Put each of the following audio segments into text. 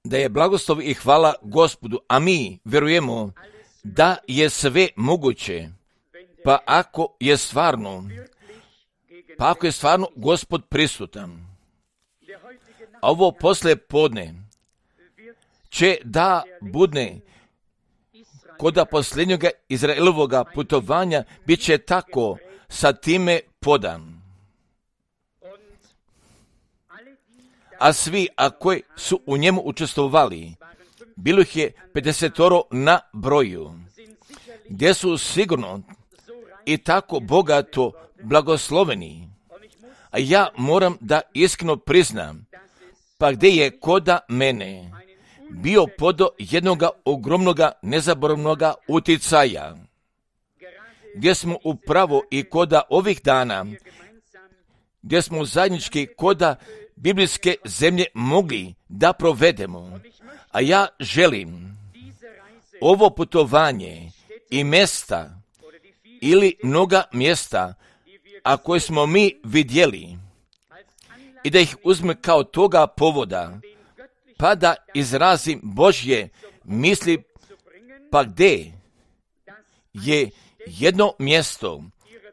Da je blagoslov i hvala Gospodu, a mi vjerujemo da je sve moguće, pa ako je stvarno Gospod prisutan. A ovo poslije podne će da bude koda posljednjega Izraelovoga putovanja bit će tako sa time podan. A svi, a koji su u njemu učestvovali, bilo ih je 50 na broju, gdje su sigurno i tako bogato blagosloveni. A ja moram da iskreno priznam, pa gdje je koda mene bio podo jednoga ogromnoga nezaboravnoga uticaja, gdje smo upravo i koda ovih dana, gdje smo zajednički koda biblijske zemlje mogli da provedemo. A ja želim ovo putovanje i mjesta ili mnoga mjesta, a koje smo mi vidjeli, i da ih uzme kao toga povoda, pa da izrazim Božje misli, pa gdje je jedno mjesto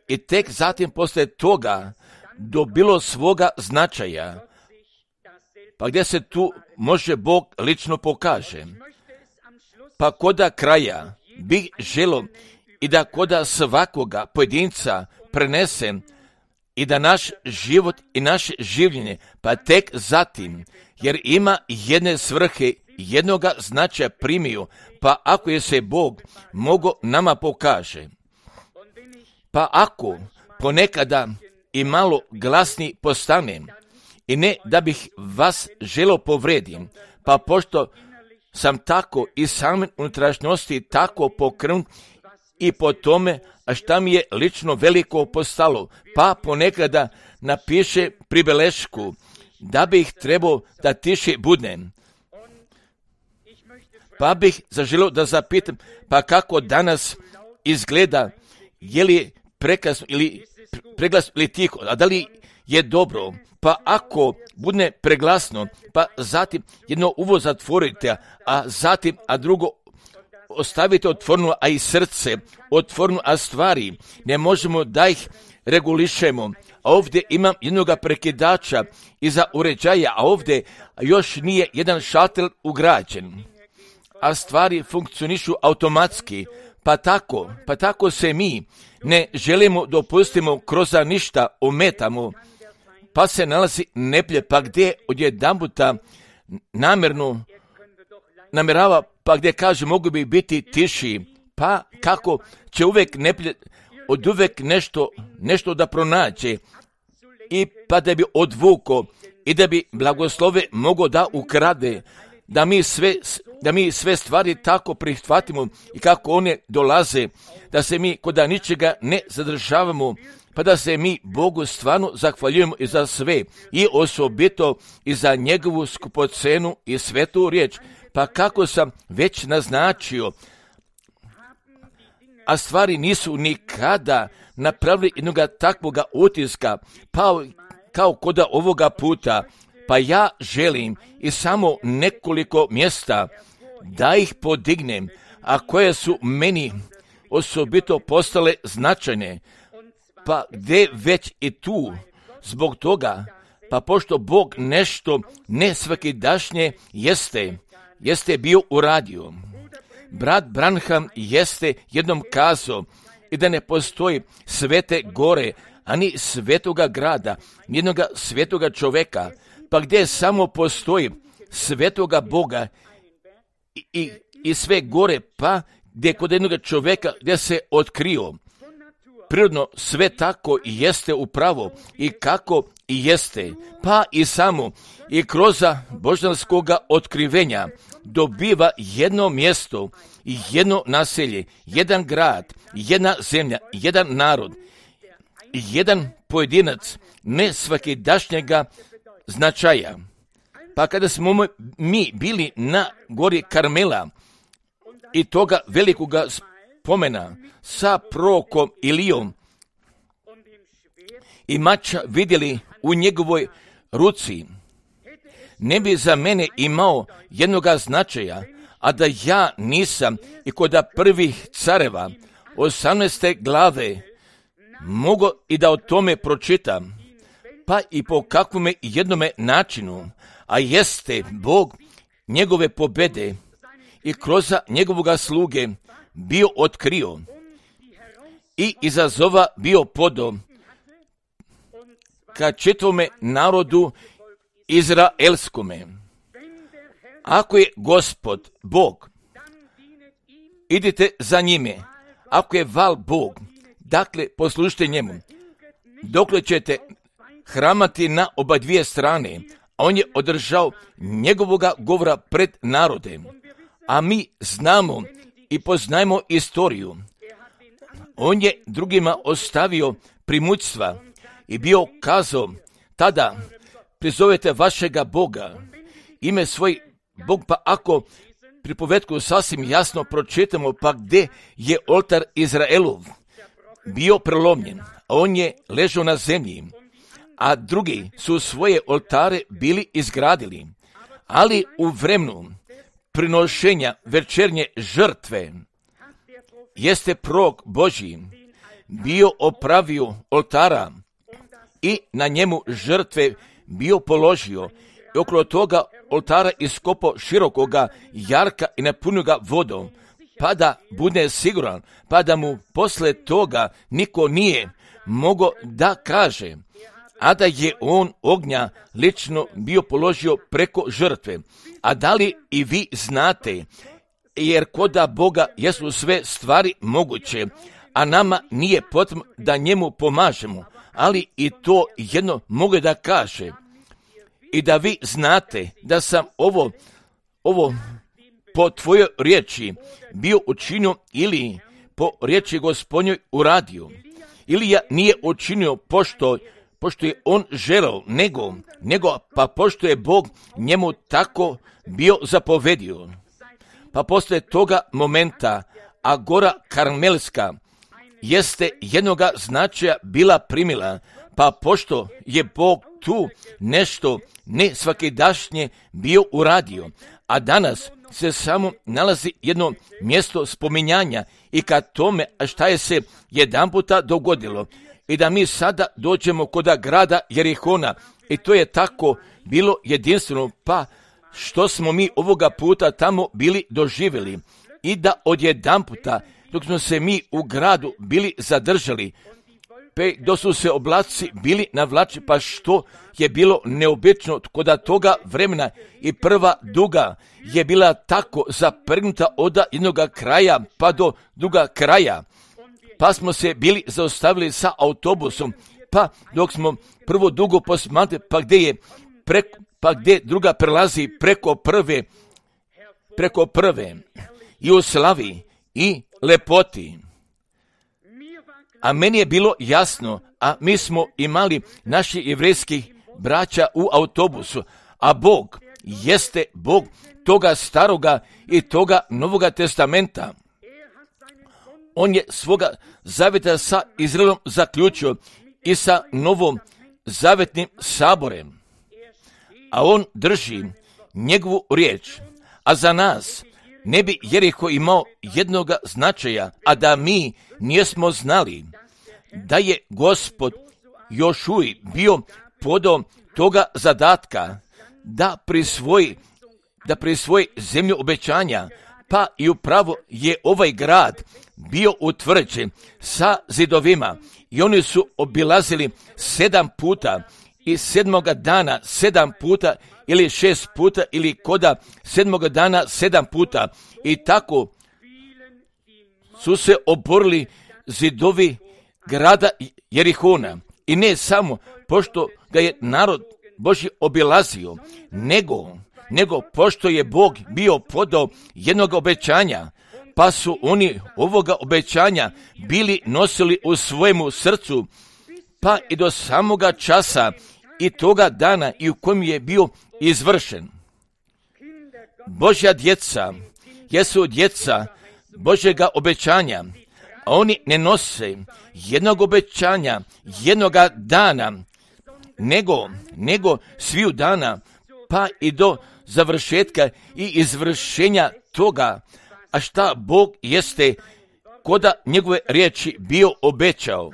i tek zatim poslije toga dobilo svoga značaja, pa gdje se tu može Bog lično pokaže. Pa koda kraja bih želio i da koda svakoga pojedinca prenesem i da naš život i naše življenje, pa tek zatim, jer ima jedne svrhe, jednoga značaja primio, pa ako je se Bog mogo nama pokaže. Pa ako ponekada i malo glasni postanem, i ne da bih vas želio povredim, pa pošto sam tako i same unutrašnjosti tako pokrenut i po tome, a šta mi je lično veliko postalo, pa ponekada napiše pribelešku, da bih trebao da tiše budnem. Pa bih zaželio da zapitam, pa kako danas izgleda, je li prekasno ili preglasno ili tiho, a da li je dobro? Pa ako bude preglasno, pa zatim jedno uvo zatvorite, a drugo ostavite otvoreno, a i srce otvoreno, a stvari ne možemo da ih regulišemo. A ovdje imam jednoga prekidača iza uređaja, a ovdje još nije jedan šatel ugrađen. A stvari funkcionišu automatski, pa tako se mi ne želimo dopustimo kroz ništa ometamo, pa se nalazi neplje, pa gdje odjedanputa namjerava, pa gdje kaže mogu bi biti tiši, pa kako će uvijek neplje od uvijek nešto da pronađe i pa da bi odvuko i da bi blagoslove mogo da ukrade, da mi sve stvari tako prihvatimo i kako one dolaze, da se mi kod ničega ne zadržavamo, pa da se mi Bogu stvarno zahvaljujemo i za sve i osobito i za njegovu skupocenu i svetu riječ. Pa kako sam već naznačio, a stvari nisu nikada napravili jednoga takvoga utiska, pa kao kod ovoga puta, pa ja želim i samo nekoliko mjesta da ih podignem, a koje su meni osobito postale značajne, pa gdje već i tu, zbog toga, pa pošto Bog nešto nesvakidašnje jeste bio uradio. Brat Branham jeste jednom kazao i da ne postoji svete gore, ani svetoga grada, jednoga svetoga čoveka, pa gdje samo postoji svetoga Boga i sve gore, pa gdje kod jednoga čoveka gdje se otkrio. Prirodno sve tako i jeste upravo i kako i jeste, pa i samo i kroz božanskoga otkrivenja dobiva jedno mjesto, jedno naselje, jedan grad, jedna zemlja, jedan narod, jedan pojedinac nesvakidašnjega značaja. Pa kada smo mi bili na gori Karmela i toga velikoga spomena sa prorokom Ilijom i mača vidjeli u njegovoj ruci, ne bi za mene imao jednoga značaja, a da ja nisam i kod prvih careva 18. glave mogu i da o tome pročitam, pa i po kakvome jednome načinu, a jeste Bog njegove pobede i kroz njegovoga sluge bio otkrio i izazova bio podo ka čitavome narodu izraelskome. Ako je Gospod Bog, idite za njime. Ako je val Bog, dakle poslušajte njemu. Dokle ćete hramati na oba dvije strane, a on je održao njegovoga govora pred narodem. A mi znamo i poznajemo istoriju. On je drugima ostavio primućstva i bio kazao, tada prizovete vašega Boga, ime svoj Bog, pa ako pripovetku sasvim jasno pročitamo, pa gdje je oltar Izraelov bio prelomljen, a on je ležao na zemlji, a drugi su svoje oltare bili izgradili, ali u vremenu prinošenja večernje žrtve jeste prorok Božji bio opravio oltara i na njemu žrtve bio položio i okolo toga oltara iskopao širokoga jarka i napunio ga vodom, pa da bude siguran, pa da mu posle toga niko nije mogao da kaže, a da je on ognja lično bio položio preko žrtve. A da li i vi znate, jer koda Boga jesu sve stvari moguće, a nama nije potrebno da njemu pomažemo, ali i to jedno mogu da kaže, i da vi znate da sam ovo po tvojoj riječi bio učinio ili po riječi Gospodnjoj uradio. Ilija nije učinio pošto je on želeo, nego pa pošto je Bog njemu tako bio zapovedio. Pa posle toga momenta, a gora Karmelska jeste jednoga značaja bila primila, pa pošto je Bog tu nešto ne svakidašnje bio uradio, a danas se samo nalazi jedno mjesto spominjanja i kad tome šta je se jedan puta dogodilo i da mi sada dođemo kod grada Jerihona i to je tako bilo jedinstveno, pa što smo mi ovoga puta tamo bili doživjeli i da odjedan puta dok smo se mi u gradu bili zadržali, dok su se oblaci bili navlači, pa što je bilo neobično kod toga vremena i prva duga je bila tako zaprgnuta od jednog kraja pa do druga kraja, pa smo se bili zaustavili sa autobusom, pa dok smo prvo dugo posmatrali, pa gdje druga prelazi preko prve i u slavi i lepoti. A meni je bilo jasno, a mi smo imali naši jevrejskih braća u autobusu, a Bog jeste Bog toga staroga i toga novoga testamenta. On je svoga zaveta sa Izraelom zaključio i sa novom zavetnim saborem, a on drži njegovu riječ, a za nas ne bi Jeriho imao jednoga značaja, a da mi nismo znali da je Gospod Jošuj bio podao toga zadatka da prisvoji zemlju obećanja, pa i upravo je ovaj grad bio utvrđen sa zidovima i oni su obilazili 7 puta i 7. dana 7 puta ili 6 puta ili koda 7. dana 7 puta i tako su se oborili zidovi grada Jerihona. I ne samo pošto ga je narod Božji obilazio, nego pošto je Bog bio podao jednog obećanja, pa su oni ovoga obećanja bili nosili u svojemu srcu, pa i do samoga časa i toga dana i u kojem je bio izvršen. Božja djeca jesu djeca Božjega obećanja, a oni ne nose jednog obećanja, jednoga dana, nego sviju dana pa i do završetka i izvršenja toga, a šta Bog jeste koda njegove riječi bio obećao.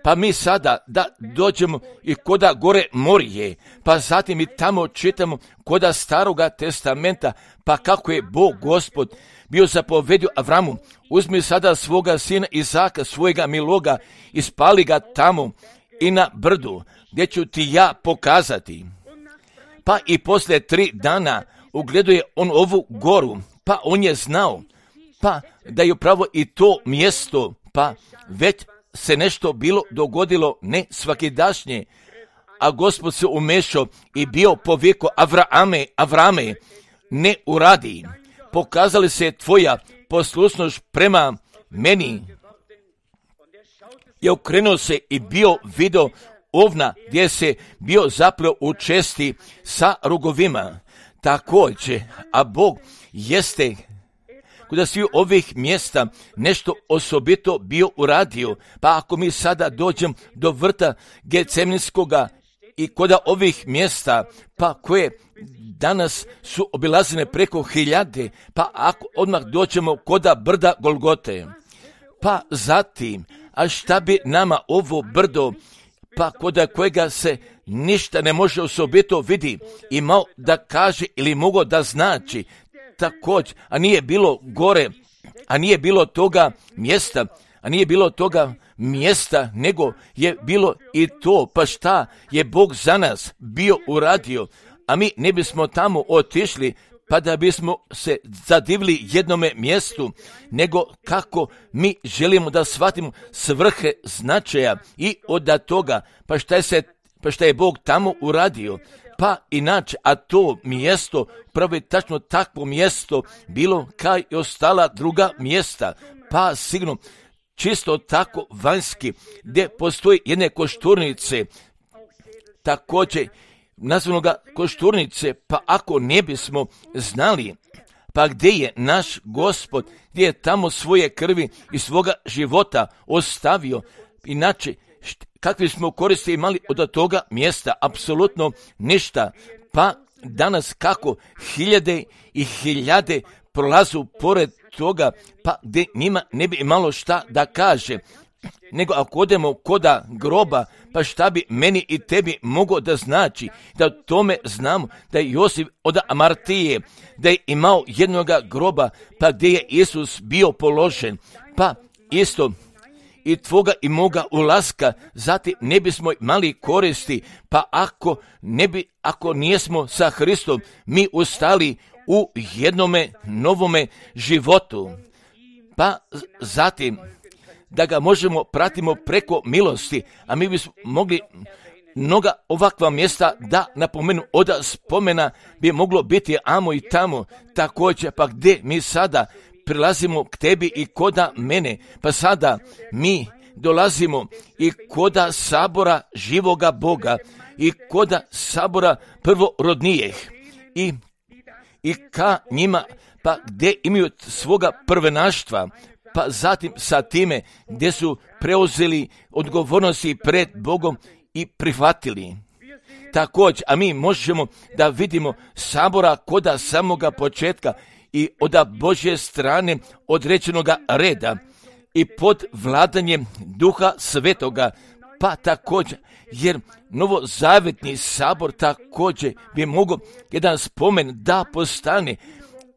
Pa mi sada da dođemo i koda gore Morije, pa zatim i tamo čitamo koda Staroga testamenta, pa kako je Bog Gospod bio zapovedio Avramu, uzmi sada svoga sina Izaka, svojega miloga, i spali ga tamo i na brdu, gdje ću ti ja pokazati. Pa i poslije 3 dana ugleduje on ovu goru, pa on je znao, pa da je upravo i to mjesto, pa već se nešto bilo dogodilo, ne svakidašnje, a Gospod se umešao i bio poviko Avrame, ne uradi, pokazali se tvoja poslušnost prema meni. I okrenuo se i bio video ovna gdje se bio zapleo u česti sa rogovima. Također, a Bog jeste kod svih ovih mjesta nešto osobito bio uradio. Pa ako mi sada dođem do vrta Getsemanskoga i kod ovih mjesta, pa koje danas su obilazene preko 1000, pa ako odmah dođemo kod brda Golgote, pa zatim, a šta bi nama ovo brdo, pa kod kojega se ništa ne može osobito vidi, imao da kaže ili mogao da znači, također, a nije bilo gore, a nije bilo toga mjesta, nego je bilo i to, pa šta je Bog za nas bio uradio, a mi ne bismo tamo otišli, pa da bismo se zadivili jednome mjestu, nego kako mi želimo da shvatimo svrhe značaja i od toga, pa šta je Bog tamo uradio. Pa inače, a to mjesto, pravo je tačno takvo mjesto bilo kao i ostala druga mjesta, pa sigurno čisto tako vanjski, gdje postoji jedne košturnice, također nazvano ga košturnice, pa ako ne bismo znali, pa gdje je naš Gospod, gdje je tamo svoje krvi i svoga života ostavio, inače, kakvi smo koristi imali od toga mjesta? Apsolutno ništa. Pa danas kako 1000 i 1000 prolazu pored toga, pa gdje njima ne bi imalo šta da kaže. Nego ako odemo koda groba, pa šta bi meni i tebi moglo da znači, da o tome znamo, da je Josip od Amartije, da je imao jednoga groba, pa gdje je Isus bio položen, pa isto i tvoga i moga ulaska, zatim ne bismo imali koristi, pa ako nijesmo sa Hristom, mi ustali u jednome novome životu. Pa zatim, da ga možemo pratimo preko milosti, a mi bismo mogli mnoga ovakva mjesta da napomenu od spomena bi moglo biti amo i tamo, također pa gdje mi sada prilazimo k tebi i koda mene, pa sada mi dolazimo i koda sabora živoga Boga i koda sabora prvorodnijih i ka njima, pa gdje imaju svoga prvenaštva, pa zatim sa time gdje su preuzeli odgovornosti pred Bogom i prihvatili. Također, a mi možemo da vidimo sabora koda samoga početka i od Božje strane određenoga reda i pod vladanjem Duha Svetoga, pa također, jer novozavetni sabor također bi mogao jedan spomen da postane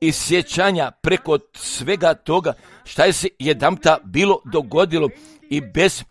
i sjećanja preko svega toga šta je se jedanputa bilo dogodilo i bez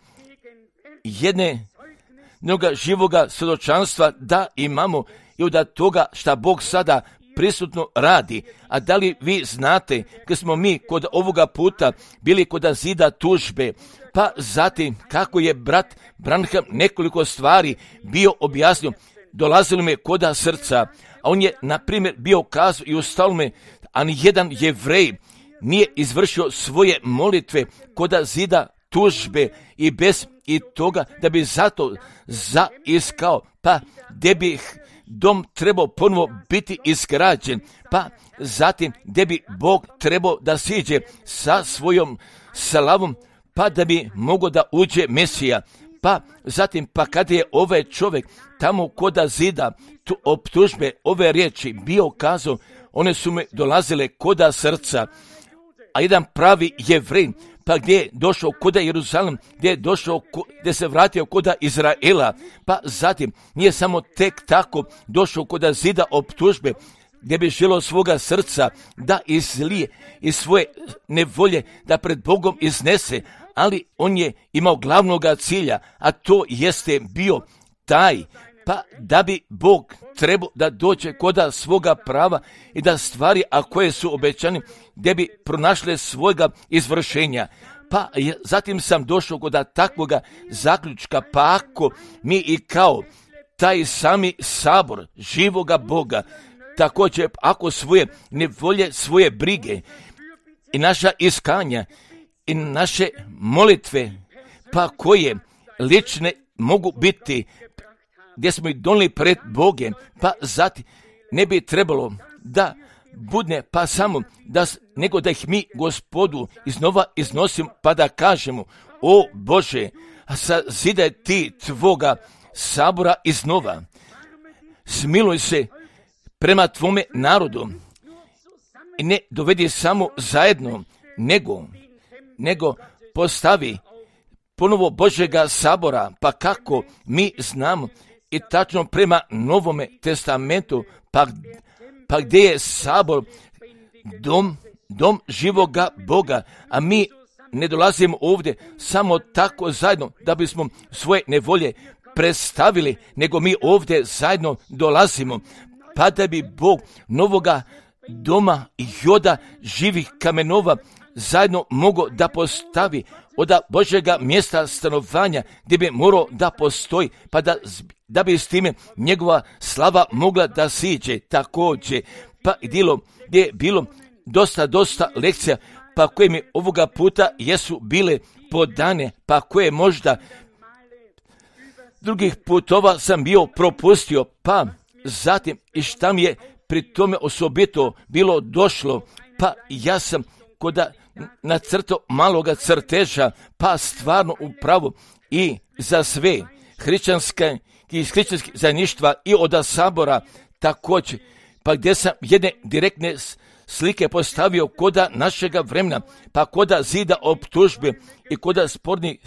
jednog živoga svjedočanstva da imamo i od toga šta Bog sada prisutno radi. A da li vi znate kad smo mi kod ovoga puta bili kod zida tužbe, pa zatim kako je brat Branham nekoliko stvari bio objasnio, dolazilo me koda srca, a on je na primjer bio kazao i ostalo me, a nijedan Jevrej nije izvršio svoje molitve koda zida tužbe i bez i toga da bi zato zaiskao, pa gdje bi dom trebao ponovo biti izgrađen, pa zatim gdje bi Bog trebao da siđe sa svojom slavom, pa da bi mogao da uđe Mesija, Pa zatim, pa kada je ovaj čovjek tamo koda zida tu optužbe, ove riječi bio kazao, one su me dolazile koda srca, a jedan pravi Jevrej, pa gdje je došao koda Jeruzalem, gdje se vratio koda Izraela, pa zatim nije samo tek tako došao koda zida optužbe, gdje bi želio svoga srca da izlije iz svoje nevolje, da pred Bogom iznese, ali on je imao glavnoga cilja, a to jeste bio taj, pa da bi Bog trebao da dođe koda svoga prava i da stvari, a koje su obećane, gdje bi pronašle svojega izvršenja. Pa zatim sam došao koda takvoga zaključka, pa ako mi i kao taj sami sabor živoga Boga, također ako svoje nevolje, svoje brige i naša iskanja i naše molitve, pa koje lične mogu biti, gdje smo ih donijeli pred Bogem, pa zatim ne bi trebalo da budne pa samo nego da ih mi Gospodu iznova iznosimo, pa da kažemo: o Bože, sazidaj ti tvoga sabora iznova, smiluj se prema tvome narodu i ne dovedi samo zajedno, nego postavi ponovo Božjega sabora, pa kako mi znamo i tačno prema Novome testamentu, pa gdje je sabor dom živoga Boga, a mi ne dolazimo ovdje samo tako zajedno da bismo svoje nevolje predstavili, nego mi ovdje zajedno dolazimo, pa da bi Bog novoga doma i joda živih kamenova zajedno mogao da postavi od Božjega mjesta stanovanja gdje bi morao da postoji, pa da bi s time njegova slava mogla da siđe također. Pa gdje je bilo dosta lekcija, pa koje mi ovoga puta jesu bile podane, pa koje možda drugih putova sam bio propustio, pa zatim i šta mi je pri tome osobito bilo došlo, pa ja sam koda nacrtao maloga crteža, pa stvarno upravo i za sve hrišćanskih zajedništva i od sabora također, pa gdje sam jedne direktne slike postavio koda našega vremena, pa koda zida optužbe i koda spornih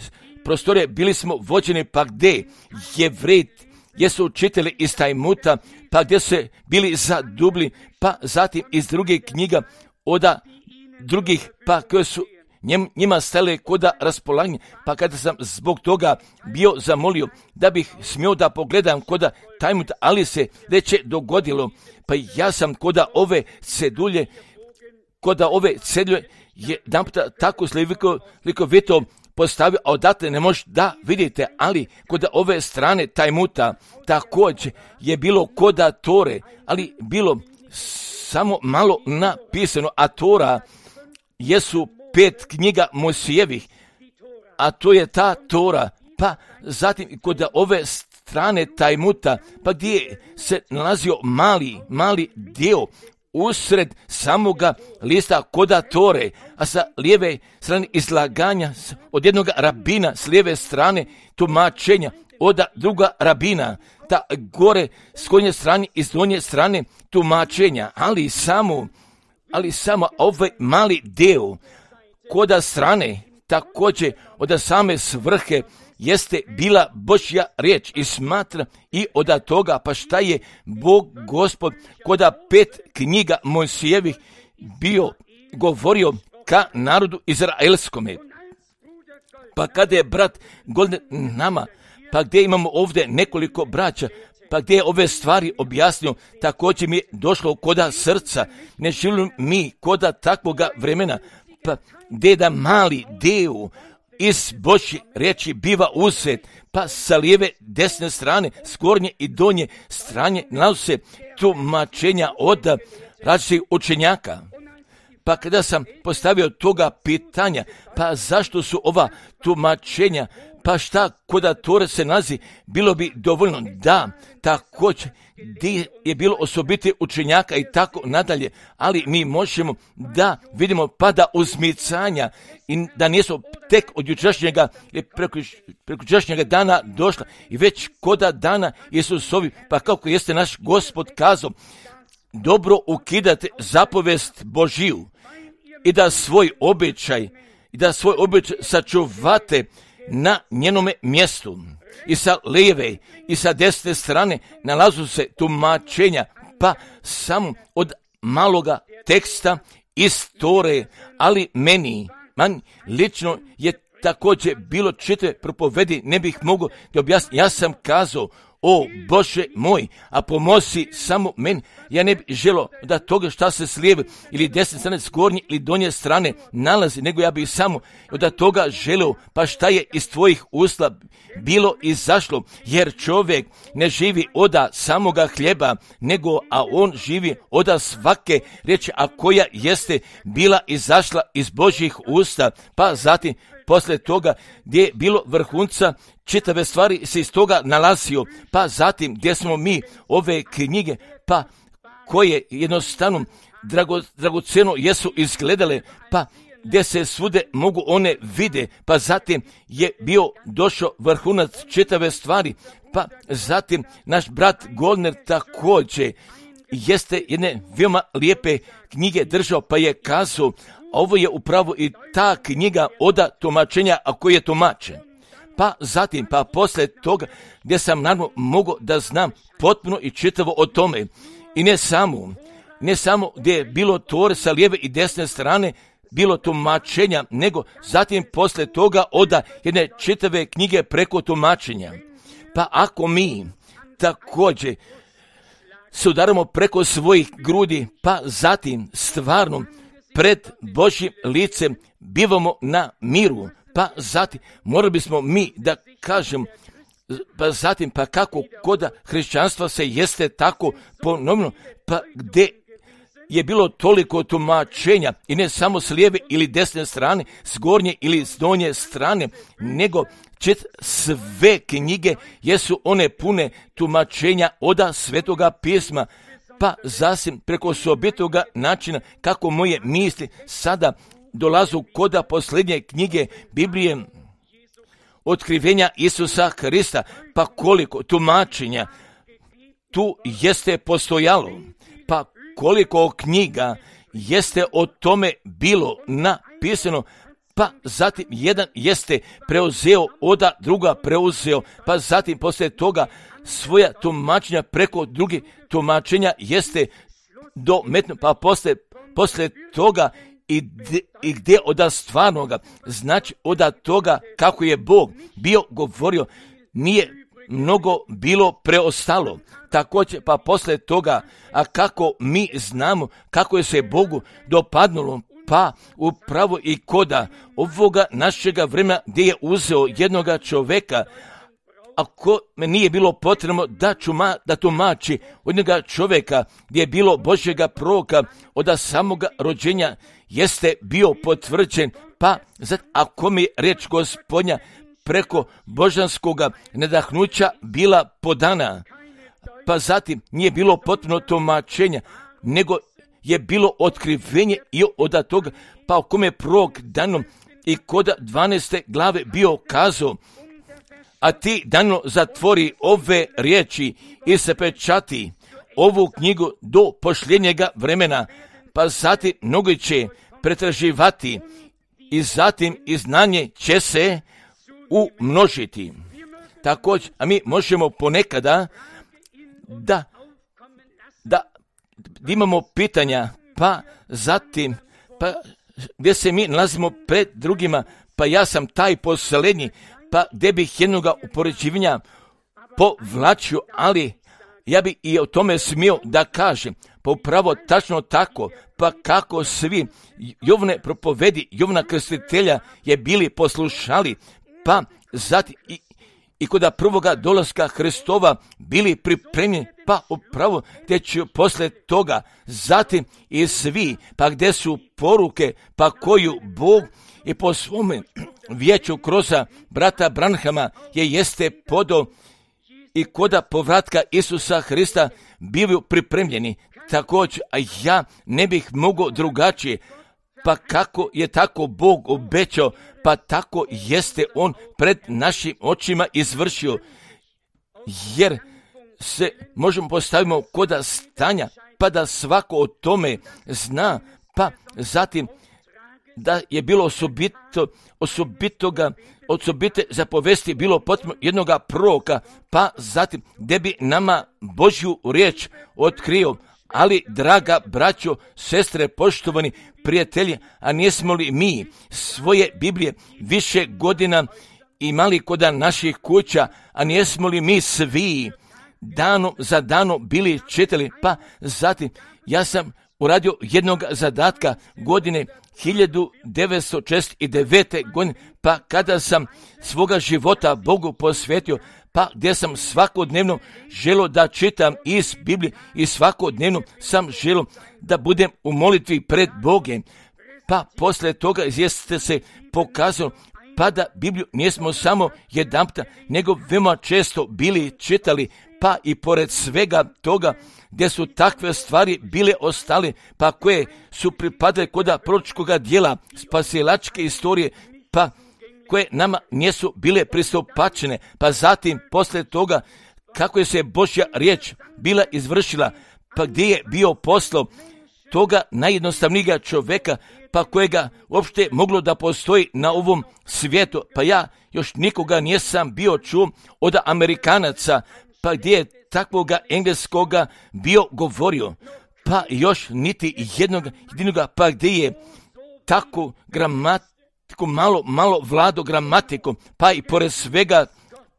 prostorije bili smo vođeni, pa gdje Jevreji jesu učitelji iz Tajmuta, pa gdje se bili zadubli, pa zatim iz drugih knjiga od drugih, pa koje su njima stale koda raspolaganje, pa kada sam zbog toga bio zamolio da bih smio da pogledam koda Tajmuta, ali se već je dogodilo, pa ja sam koda ove cedulje jedan puta tako slikovito postavio, a odatle ne možete da vidite, ali kod ove strane Tajmuta također je bilo koda Tore, ali bilo samo malo napisano, a Tora jesu 5 knjiga Mojsijevih, a to je ta Tora, pa zatim kod ove strane Tajmuta, pa gdje se nalazio mali dio usred samoga lista koda Tore, a sa lijeve strane izlaganja od jednog rabina, s lijeve strane tumačenja od druga rabina, ta gore s konje strane i s donje strane tumačenja, ali samo ovaj mali dio koda strane također od same svrhe jeste bila Božja riječ i smatra i od toga, pa šta je Bog Gospod koda 5 knjiga Mojsijevih bio govorio ka narodu izraelskome. Pa kada je brat Golden nama, pa gdje imamo ovdje nekoliko braća, pa gdje je ove stvari objasnio, također mi je došlo koda srca, ne želim mi koda takvoga vremena, pa gdje da mali dio iz Božje riječi biva uzet, pa sa lijeve, desne strane, s gornje i donje strane nalazi se tumačenja od različitih učenjaka. Pa kada sam postavio toga pitanja, pa zašto su ova tumačenja Pa šta koda Tore se nalazi, bilo bi dovoljno. Da, također, gdje je bilo osobite učenjaka i tako nadalje, ali mi možemo da vidimo pada uzmicanja i da nisu tek od jučerašnjega ili prekučerašnjega dana došla i već koda dana Isusovi, pa kako jeste naš Gospod kazao, dobro ukidate zapovest Božiju i da svoj običaj sačuvate na njenome mjestu. I sa lijeve i sa desne strane nalazu se tumačenja, pa samo od maloga teksta iz Tore, ali meni lično je također bilo čitave propovedi, ne bih mogao da objasniti. Ja sam kazao, o Bože moj, a pomozi samo meni. Ja ne bih želio da toga šta se s lijeve ili desne strane, s gornje ili donje strane nalazi, nego ja bih samo da toga želio, pa šta je iz tvojih usta bilo izašlo, jer čovjek ne živi oda samoga hljeba, nego a on živi oda svake riječi, a koja jeste bila izašla iz Božjih usta. Pa zatim poslije toga gdje je bilo vrhunca, čitave stvari se iz toga nalazio, pa zatim gdje smo mi ove knjige, pa koje jednostavno dragoceno jesu izgledale, pa gdje se svude mogu one vide, pa zatim je bio došao vrhunac čitave stvari, pa zatim naš brat Golner također jeste jedne veoma lijepe knjige držao, pa je kazao, ovo je upravo i ta knjiga oda tumačenja, a koji je tumačen. Pa zatim, pa poslije toga, gdje sam naravno mogao da znam potpuno i čitavo o tome. I ne samo gdje je bilo Tore sa lijeve i desne strane, bilo tumačenja, nego zatim poslije toga oda jedne čitave knjige preko tumačenja. Pa ako mi također se udaramo preko svojih grudi, pa zatim stvarno pred Božjim licem bivamo na miru, pa zatim morali bismo mi da kažem, pa zatim pa kako koda hrišćanstva se jeste tako ponovno, pa gdje je bilo toliko tumačenja i ne samo s lijeve ili desne strane, s gornje ili s donje strane, nego sve knjige jesu one pune tumačenja oda Svetoga pisma, pa zasim preko osobitoga načina kako moje misli sada dolazu koda posljednje knjige Biblije, otkrivenja Isusa Hrista, pa koliko tumačenja tu jeste postojalo, pa koliko knjiga jeste o tome bilo napisano, pa zatim jedan jeste preuzeo, oda druga preuzeo, pa zatim poslije toga svoja tumačenja preko drugih tumačenja jeste dometno, pa poslije toga i gdje oda stvarnoga, znači oda toga kako je Bog bio govorio, nije mnogo bilo preostalo. Također pa poslije toga, a kako mi znamo kako je se Bogu dopadnulo, pa upravo i koda ovoga našega vremena gdje je uzeo jednoga čovjeka, ako me nije bilo potrebno da tumači od njega čovjeka gdje je bilo Božjega proroka od samoga rođenja jeste bio potvrđen, pa ako mi riječ Gospodnja preko božanskoga nadahnuća bila podana, pa zatim nije bilo potpuno tumačenja, nego je bilo otkrivenje i od toga, pa o kome prorok danom i koda 12. glave bio kazao, a ti Danilo zatvori ove riječi i se pečati ovu knjigu do posljednjega vremena, pa zatim mnogi će pretraživati i zatim i znanje će se umnožiti. Također, a mi možemo ponekada da imamo pitanja, pa zatim, pa gdje se mi nalazimo pred drugima, pa ja sam taj posljednji, pa gdje bih jednoga upoređivanja povlačio, ali ja bi i o tome smio da kažem, pa upravo tačno tako, pa kako svi Jovne propovedi, Jovna krstitelja je bili poslušali, pa zatim i kod prvoga dolaska Hristova bili pripremljeni, pa upravo te će poslije toga, zatim i svi, pa gdje su poruke, pa koju Bog i po svome vijeću kroz brata Branhama jeste podo i koda povratka Isusa Hrista bivaju pripremljeni. Također, a ja ne bih mogao drugačije. Pa kako je tako Bog obećao, pa tako jeste On pred našim očima izvršio. Jer se možemo postavimo koda stanja, pa da svako o tome zna, pa zatim da je bilo osobite zapovesti bilo potrebno jednoga proroka, pa zatim gdje bi nama Božju riječ otkrio. Ali, draga braćo, sestre, poštovani prijatelji, a nismo li mi svoje Biblije više godina imali kod naših kuća, a nismo li mi svi danom za danom bili čitali, pa zatim ja sam uradio jednog zadatka godine 1969. godine, pa kada sam svoga života Bogu posvetio, pa gdje sam svakodnevno želio da čitam iz Biblije i svakodnevno sam želio da budem u molitvi pred Bogom. Pa poslije toga jeste se pokazalo pa da Bibliju nismo samo jedanputa, nego veoma često bili čitali, pa i pored svega toga gdje su takve stvari bile ostale, pa koje su pripadale koda proročkoga dijela, spasilačke istorije, pa koje nama nisu bile pristupačene, pa zatim poslije toga kako je se Božja riječ bila izvršila, pa gdje je bio poslao toga najjednostavnijega čovjeka, pa kojega uopšte moglo da postoji na ovom svijetu, pa ja još nikoga nisam bio čuo od Amerikanaca, pa gdje je takvoga engleskoga bio govorio, pa još niti jedinoga, pa gdje je tako gramatiku malo vlado gramatikom, pa i pored svega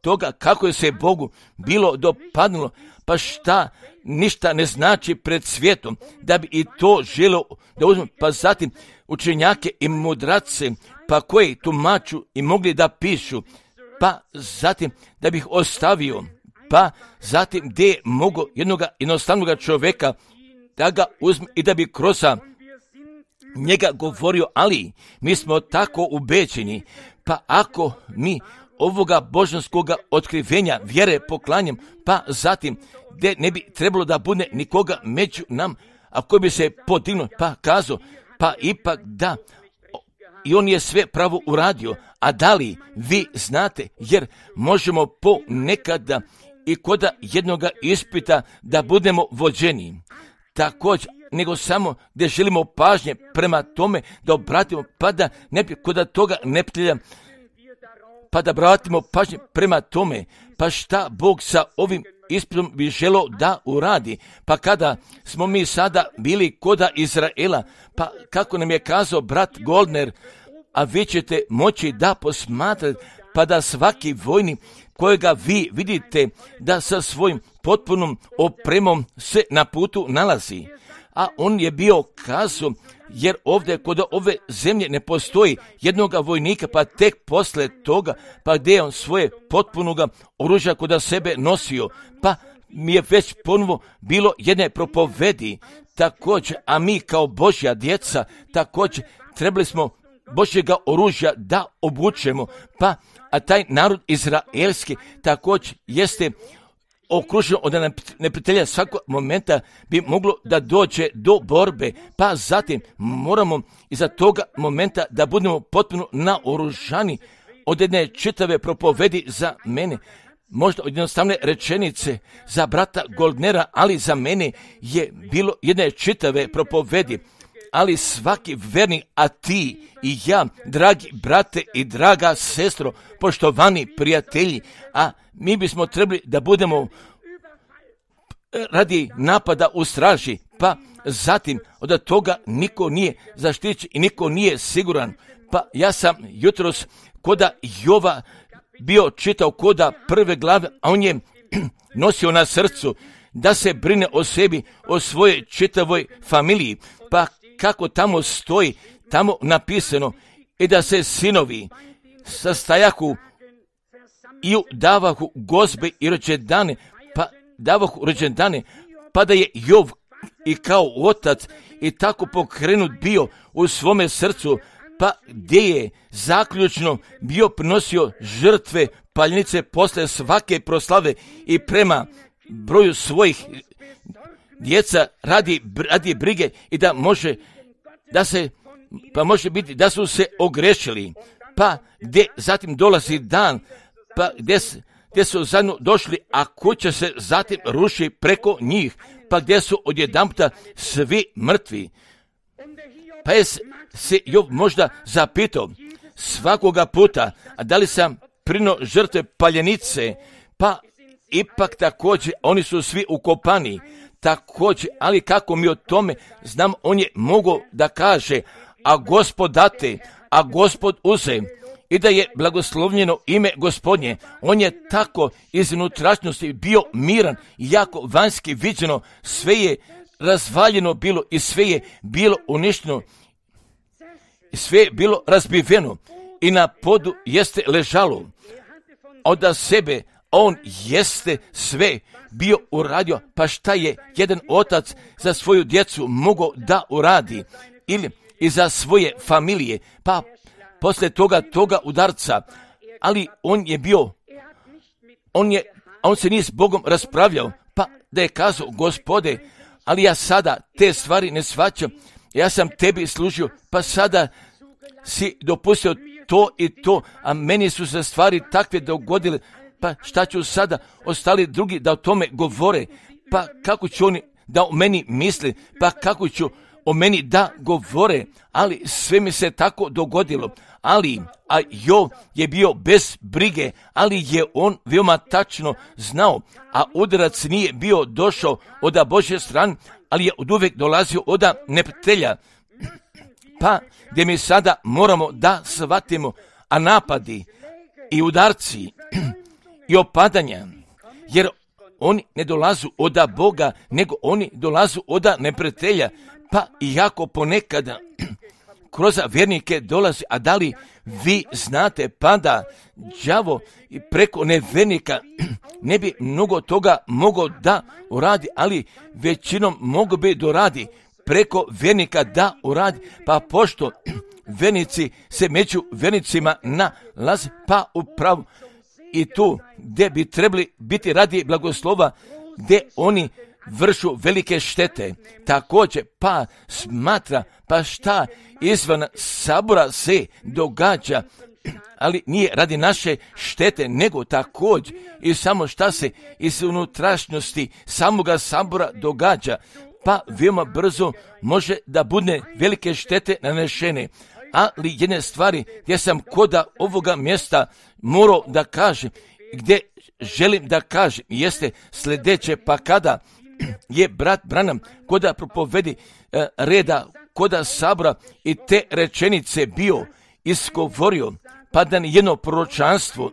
toga kako je se Bogu bilo dopadnulo, pa šta ništa ne znači pred svijetom, da bi i to želio da uzme, pa zatim učenjake i mudrace, pa koji tumaču i mogli da pišu, pa zatim da bih ostavio, pa zatim gdje je mogo jednoga jednostavnog čovjeka da ga uzme i da bi kroz njega govorio, ali mi smo tako ubeđeni, pa ako mi ovoga božanskoga otkrivenja vjere poklanjam, pa zatim gdje ne bi trebalo da bude nikoga među nam, a koji bi se podignuo, pa kazao, pa ipak da, i on je sve pravo uradio, a da li vi znate, jer možemo ponekada i koda jednoga ispita da budemo vođeni, također, nego samo gdje želimo pažnje prema tome da obratimo, pa da ne bi koda toga neprijatelja, pa da obratimo pažnje prema tome, pa šta Bog sa ovim ispitom bi želio da uradi, pa kada smo mi sada bili koda Izraela, pa kako nam je kazao brat Goldner, a vi ćete moći da posmatrate, pa da svaki vojnik kojega vi vidite da sa svojim potpunom opremom se na putu nalazi. A on je bio kazao, jer ovdje kod ove zemlje ne postoji jednoga vojnika, pa tek posle toga, pa gdje je on svoje potpunoga oružja kod sebe nosio, pa mi je već ponovo bilo jedne propovedi, također, a mi kao Božja djeca, također, trebali smo Božjega oružja da obučemo, pa a taj narod izraelski također jeste okružen od neprijatelja, svakog momenta bi moglo da dođe do borbe, pa zatim moramo iza toga momenta da budemo potpuno naoružani. Od jedne čitave propovedi za mene, možda od jednostavne rečenice za brata Goldnera, ali za mene je bilo jedne čitave propovedi. Ali svaki vernik, a ti i ja, dragi brate i draga sestro, poštovani prijatelji, a mi bismo trebali da budemo radi napada u straži, pa zatim od toga niko nije zaštićen i niko nije siguran. Pa ja sam jutros koda Jova bio čitao koda prve glave, a on je nosio na srcu da se brine o sebi, o svojoj čitavoj familiji, pa kako tamo stoji, tamo napisano, i da se sinovi sastajahu i davahu gozbe i rođendane, pa davahu rođendane, pa da je Jov i kao otac i tako pokrenut bio u svome srcu, pa gdje je zaključno bio prinosio žrtve paljenice posle svake proslave i prema broju svojih djeca radi brige i da može biti da su se ogrešili, pa gdje zatim dolazi dan, pa gdje su zajedno došli, a kuća se zatim ruši preko njih, pa gdje su odjedanputa svi mrtvi. Pa je se Job možda zapitao svakoga puta, a da li sam prino žrtve paljenice, pa ipak također oni su svi ukopani, također, ali kako mi o tome znam, on je mogao da kaže, a Gospod date, a Gospod uze, i da je blagoslovljeno ime Gospodnje. On je tako iz unutrašnjosti bio miran, jako vanjski viđeno, sve je razvaljeno bilo i sve je bilo uništeno, sve je bilo razbiveno i na podu jeste ležalo. Od sebe on jeste sve bio uradio, pa šta je jedan otac za svoju djecu mogao da uradi ili i za svoje familije, pa posle toga udarca, ali on je bio, on se nije s Bogom raspravljao, pa da je kazao, Gospode, ali ja sada te stvari ne shvaćam, ja sam tebi služio, pa sada si dopustio to i to, a meni su se stvari takve dogodile, pa šta ću sada ostali drugi da o tome govore, pa kako će oni da o meni misle, pa kako ću o meni da govore, ali sve mi se tako dogodilo. A Job je bio bez brige, ali je on veoma tačno znao, a udarac nije bio došao od Božje strane, ali je od uvek dolazio od neprijatelja. Pa gdje mi sada moramo da shvatimo, a napadi i udarci i opadanja, jer oni ne dolazu od Boga, nego oni dolazu od neprijatelja, pa iako ponekada kroz vjernike dolazi, a da li vi znate, pa da đavo preko nevjernika ne bi mnogo toga mogao da uradi, ali većinom mogu bi doradi preko vjernika da uradi, pa pošto vjernici se među vjernicima nalaze, pa upravo i tu gdje bi trebali biti radi blagoslova, gdje oni vršu velike štete. Također pa smatra, pa šta izvan sabora se događa, ali nije radi naše štete, nego također i samo šta se iz unutrašnjosti samoga sabora događa, pa veoma brzo može da bude velike štete nanešene. Ali jedne stvari gdje sam koda ovoga mjesta morao da kažem, gdje želim da kažem, jeste sljedeće, pa kada je brat Branham koda propovedi reda koda sabora i te rečenice bio izgovorio, pa da ni jedno proročanstvo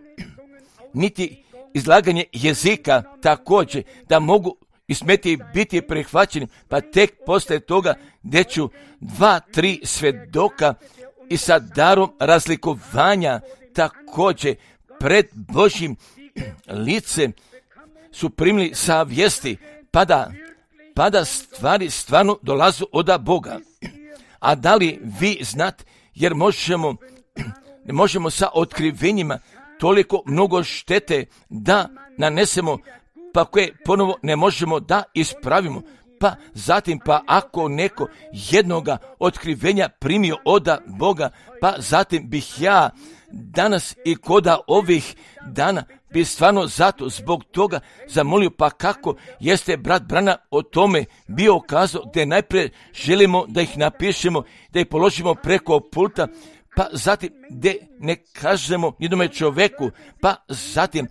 niti izlaganje jezika također da mogu ismeti biti prihvaćeni, pa tek posle toga gdje ću 2-3 svedoka i sa darom razlikovanja također pred Božjim licem su primili savjesti, pa da stvari stvarno dolazu od Boga. A da li vi znate, jer ne možemo sa otkrivenjima toliko mnogo štete da nanesemo, pa koje ponovo ne možemo da ispravimo. Pa zatim, pa ako neko jednoga otkrivenja primio od Boga, pa zatim bih ja danas i koda ovih dana bi stvarno zato zbog toga zamolio, pa kako jeste brat Brana o tome bio kazao, gdje najprije želimo da ih napišemo, da ih položimo preko pulta, pa zatim gdje ne kažemo jednome čoveku, pa zatim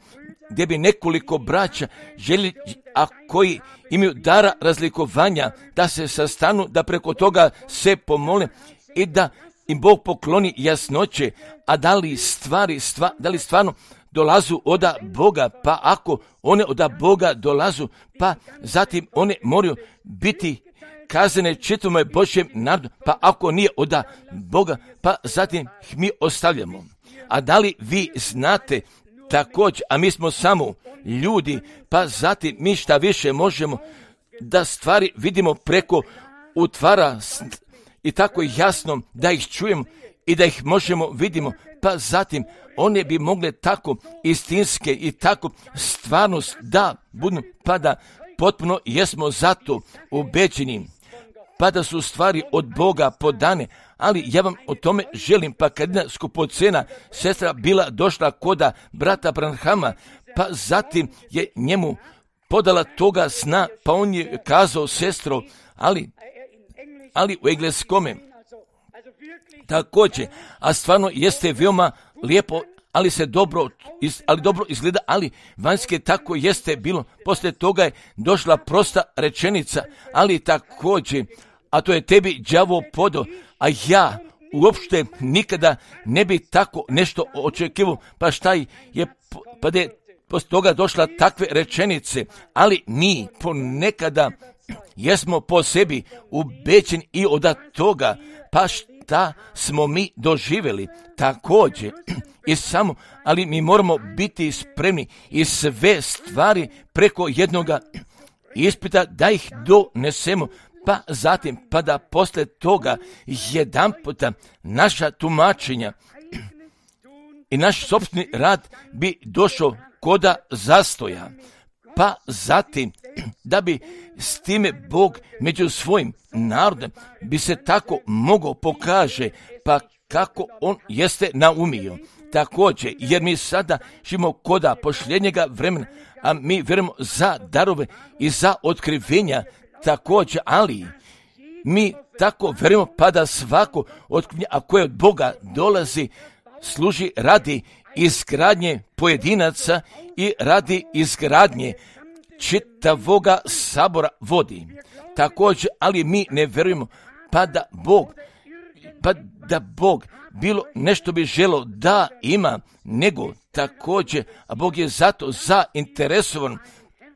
gdje bi nekoliko braća želi, a koji imaju dara razlikovanja, da se sastanu, da preko toga se pomole i da im Bog pokloni jasnoće, a da li stvarno dolazu od Boga, pa ako one od Boga dolazu, pa zatim one moraju biti kazane čitavome Božjem narodu, pa ako nije od Boga, pa zatim ih mi ostavljamo. A da li vi znate također, a mi smo samo ljudi, pa zatim mi šta više možemo da stvari vidimo preko utvara i tako jasno da ih čujemo i da ih možemo vidimo, pa zatim one bi mogle tako istinske i tako stvarnost da budu, pa da potpuno jesmo zato ubeđeni, pa da su stvari od Boga podane. Ali ja vam o tome želim, pa kad jedna skupocena sestra bila došla koda brata Branhama, pa zatim je njemu podala toga sna, pa on je kazao, sestro, ali u engleskome također, a stvarno jeste veoma lijepo, ali dobro izgleda, ali vanjske tako jeste bilo. Poslije toga je došla prosta rečenica, ali također, a to je tebi đavo podo, a ja uopšte nikada ne bi tako nešto očekivao, pa šta je, pa da je poslije toga došla takve rečenice, ali mi ponekada jesmo po sebi ubeđeni i od toga, pa šta smo mi doživjeli također i samo, ali mi moramo biti spremni i sve stvari preko jednoga ispita da ih donesemo, pa zatim, pa da poslije toga jedan puta naša tumačenja i naš sopstveni rad bi došao koda zastoja, pa zatim da bi s time Bog među svojim narodom bi se tako mogao pokaže, pa kako on jeste naumio. Također, jer mi sada živimo koda posljednjega vremena, a mi vjerujemo za darove i za otkrivenja također, ali mi tako vjerujemo pa da svako otkrivenje, a koje od Boga dolazi, služi radi izgradnje pojedinaca i radi izgradnje čitavoga sabora vodi. Također, ali mi ne vjerujemo pa da Bog bilo nešto bi želo da ima, nego također, a Bog je zato zainteresovan,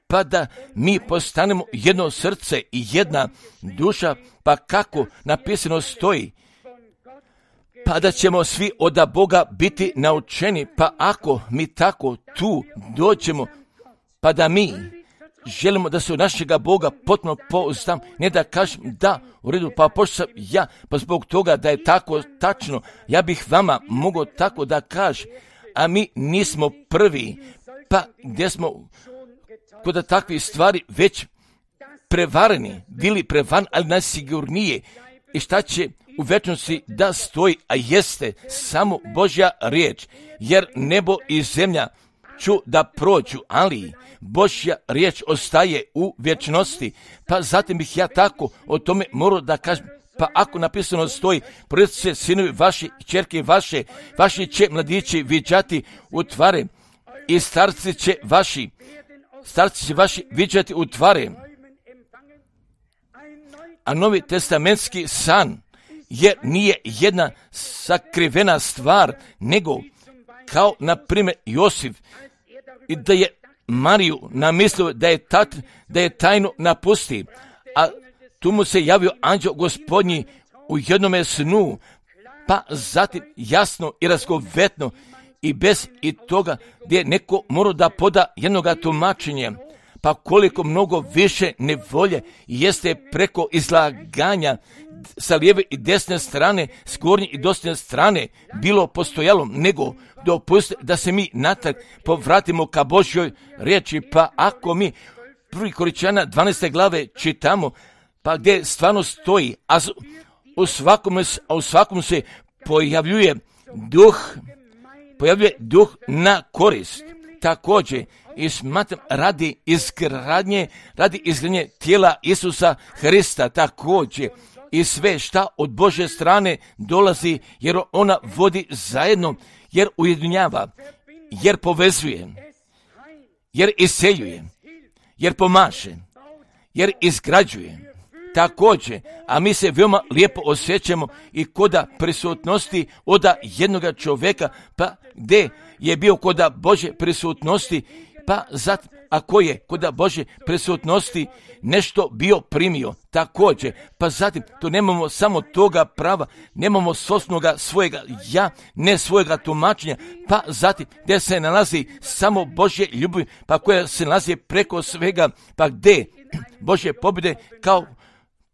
pa da mi postanemo jedno srce i jedna duša, pa kako napisano stoji, pa da ćemo svi od Boga biti naučeni, pa ako mi tako tu dođemo, pa da mi želimo da se od našega Boga potpuno pouzdam, ne da kažem da, u redu, pa pošto sam ja, pa zbog toga da je tako tačno, ja bih vama mogao tako da kažem, a mi nismo prvi, pa gdje smo kod takvih stvari već prevareni, bili prevareni, ali najsigurnije, i šta će u večnosti da stoji, a jeste samo Božja riječ, jer nebo i zemlja ću da prođu, ali Božja riječ ostaje u vječnosti, pa zatim bih ja tako o tome morao da kažem, pa ako napisano stoji, prođu se sinovi vaši, ćerke vaši će mladići viđati u tvare i starci će vaši viđati u tvare. A Novi testamentski san jer nije jedna sakrivena stvar, nego kao na primjer Josif, i da je Mariju namislio da je tajno napusti, a tu mu se javio anđeo Gospodnji u jednome snu, pa zatim jasno i razgovetno i bez i toga gdje neko mora da poda jednoga tumačenja, pa koliko mnogo više nevolje jeste preko izlaganja sa lijeve i desne strane, s gornje i desne strane bilo postojalo, nego dopustite da se mi natrag povratimo ka Božjoj riječi, pa ako mi 1. Korinćana 12. glave čitamo, pa gdje stvarno stoji, a u svakom se pojavljuje duh na korist. Također, i smatram radi izgradnje tijela Isusa Hrista, također, i sve šta od Božje strane dolazi, jer ona vodi zajedno, jer ujedinjava, jer povezuje, jer iseljuje, jer pomaže, jer izgrađuje. Također, a mi se veoma lijepo osjećamo i koda prisutnosti oda jednoga čovjeka, pa gdje je bio koda Božje prisutnosti, pa zatim, ako je koda Božje prisutnosti nešto bio primio, također, pa zatim, to nemamo samo toga prava, nemamo svojega ja, ne svojega tumačenja, pa zatim, gdje se nalazi samo Božje ljubav, pa koja se nalazi preko svega, pa gdje Božje pobjede kao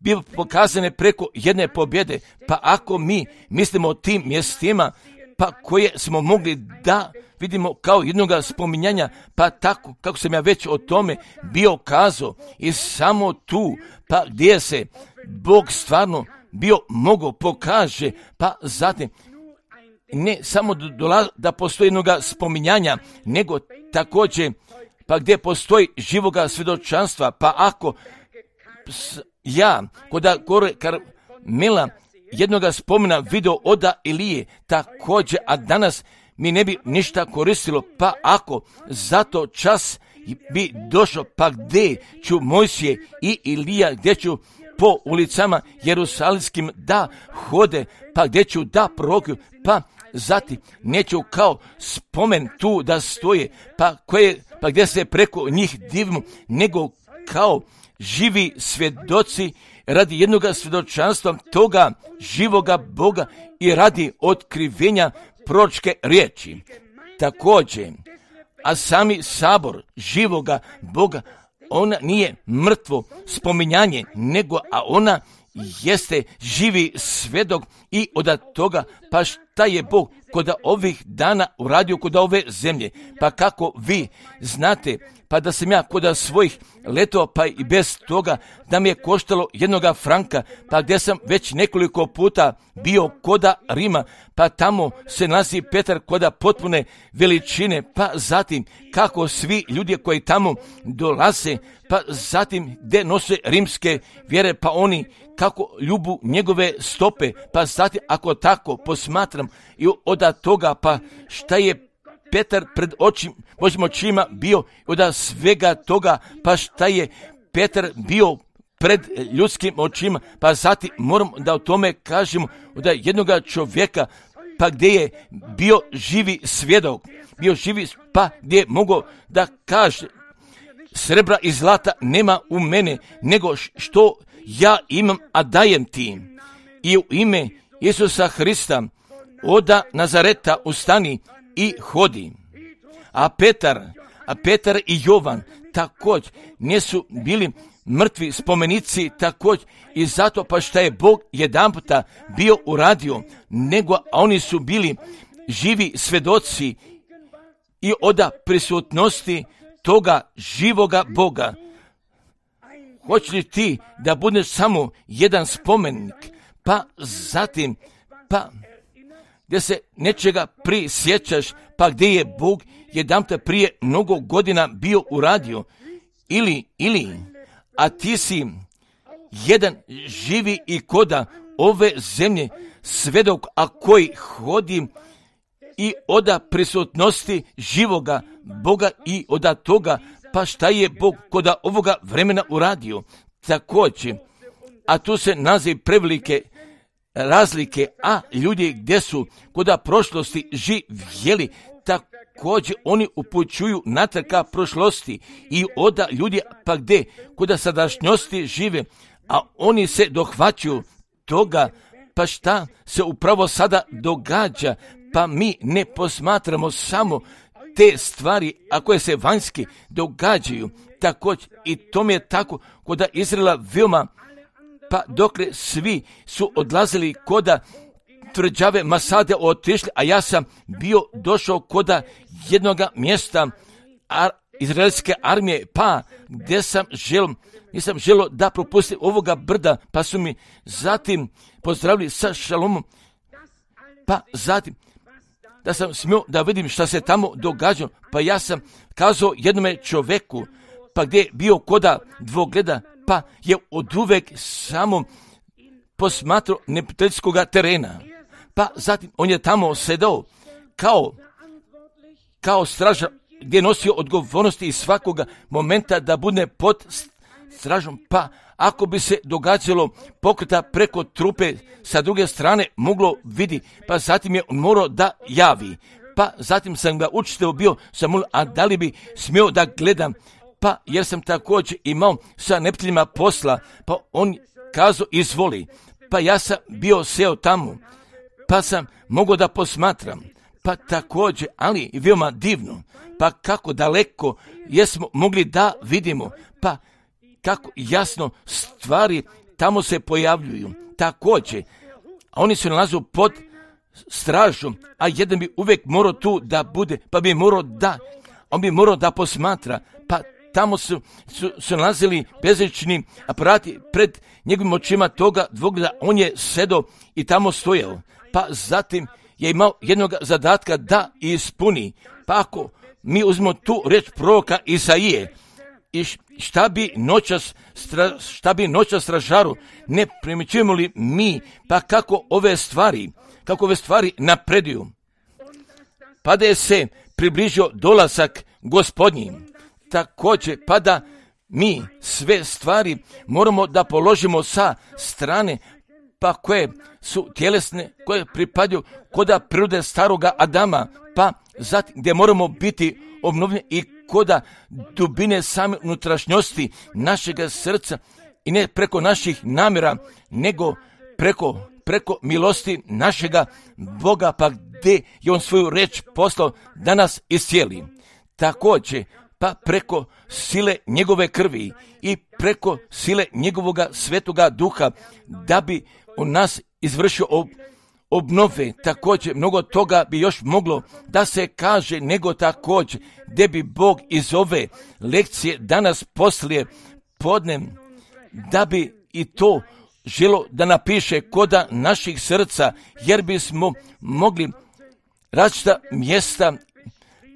bio pokazane preko jedne pobjede. Pa ako mi mislimo o tim mjestima, pa koje smo mogli da vidimo kao jednoga spominjanja, pa tako kako sam ja već o tome bio kazao, i samo tu, pa gdje se Bog stvarno bio mogao pokaže, pa zatim ne samo da postoji jednoga spominjanja, nego također pa gdje postoji živoga svjedočanstva. Pa ako ja kod Karmela jednoga spomena video oda Ilije također, a danas mi ne bi ništa koristilo, pa ako zato čas bi došao, pa gdje ću Mojsije i Ilija, gdje ću po ulicama jerusalimskim da hode, pa gdje ću da prorokuju, pa zatim neću kao spomen tu da stoje, pa gdje se preko njih divimo, nego kao živi svjedoci radi jednoga svjedočanstva toga živoga Boga i radi otkrivenja proročke riječi. Također, a sami sabor živoga Boga, ona nije mrtvo spominjanje, nego a ona jeste živi svjedok i od toga, pa šta je Bog kod ovih dana uradio kod ove zemlje. Pa kako vi znate, pa da sam ja kod svojih letova, pa i bez toga da mi je koštalo jednoga franka, pa gdje sam već nekoliko puta bio kod Rima, pa tamo se nalazi Petar kod potpune veličine, pa zatim kako svi ljudi koji tamo dolaze, pa zatim gdje nose rimske vjere, pa oni kako ljubu njegove stope, pa zatim ako tako posmatram i od toga, pa šta je Petar pred Božjim očima bio, od svega toga, pa šta je Petar bio pred ljudskim očima, pa zatim moram da o tome kažemo od jednoga čovjeka, pa gdje je bio živi svjedok, pa gdje je mogao da kaže srebra i zlata nema u mene, nego što ja imam, a dajem ti. I u ime Isusa Hrista od Nazareta ustani i hodi. A Petar i Jovan također nisu bili mrtvi spomenici također, i zato pa šta je Bog jedanputa bio uradio, nego oni su bili živi svjedoci i od prisutnosti toga živoga Boga. Hoće li ti da budeš samo jedan spomenik, pa zatim, pa gdje se nečega prisjećaš, pa gdje je Bog jedanputa prije mnogo godina bio uradio, ili, a ti si jedan živi i koda ove zemlje svjedok, a koji hodi i od prisutnosti živoga Boga i od toga, pa šta je Bog kod ovoga vremena uradio. Također, a tu se nalazi prevelike razlike, a ljudi gdje su kod prošlosti živjeli, također oni upućuju natrag ka prošlosti, i od ljudi pa gdje kod sadašnjosti žive, a oni se dohvaćuju toga, pa šta se upravo sada događa, pa mi ne posmatramo samo te stvari, a koje se vanjski događaju. Također, i to mi je tako kod Izraela veoma, pa dokle svi su odlazili kod tvrđave Masade otišli, a ja sam bio došao kod jednoga mjesta izraelske armije, pa gdje nisam želio da propustim ovoga brda, pa su mi zatim pozdravili sa šalomom, pa zatim da sam smio da vidim šta se tamo događalo, pa ja sam kazao jednome čovjeku, pa gdje je bio koda dvogleda, pa je oduvek samo posmatrao neprijateljskoga terena, pa zatim on je tamo sedao kao stražar, gdje je nosio odgovornosti iz svakoga momenta da bude pod stražom, pa ako bi se događalo pokreta preko trupe sa druge strane moglo vidi, pa zatim je morao da javi, pa zatim sam ga učitelj bio, sam molio, a da li bi smio da gledam, pa jer sam također imao sa neprijateljima posla, pa on kazao izvoli, pa ja sam bio seo tamo, pa sam mogao da posmatram, pa također, ali i veoma divno, pa kako daleko jesmo mogli da vidimo, pa kako jasno stvari tamo se pojavljuju. Također, a oni se nalazu pod stražom, a jedan bi uvijek morao tu da bude, pa bi morao on bi morao da posmatra, pa tamo su nalazili bezlični aparati pred njegovim očima toga dvogleda, on je sedao i tamo stojao, pa zatim je imao jednog zadatka da ispuni. Pa ako mi uzmemo tu riječ proroka Isaije, i šta bi noćas stražaru, ne primjećujemo li mi, pa kako ove stvari napreduju. Pa da je se približio dolazak Gospodnji, također pa da mi sve stvari moramo da položimo sa strane, pa koje su tjelesne, koje pripadaju koda prirode staroga Adama, pa zatim gdje moramo biti obnovljeni i koda dubine same unutrašnjosti našega srca i ne preko naših namjera, nego preko milosti našega Boga, pa gdje je on svoju reč poslao da nas iscijeli. Također, pa preko sile njegove krvi i preko sile njegovoga svetoga duha, da bi on nas izvršio obnove. Također, mnogo toga bi još moglo da se kaže, nego također, gdje bi Bog iz ove lekcije danas poslije podne, da bi i to želo da napiše koda naših srca, jer bismo mogli različita mjesta,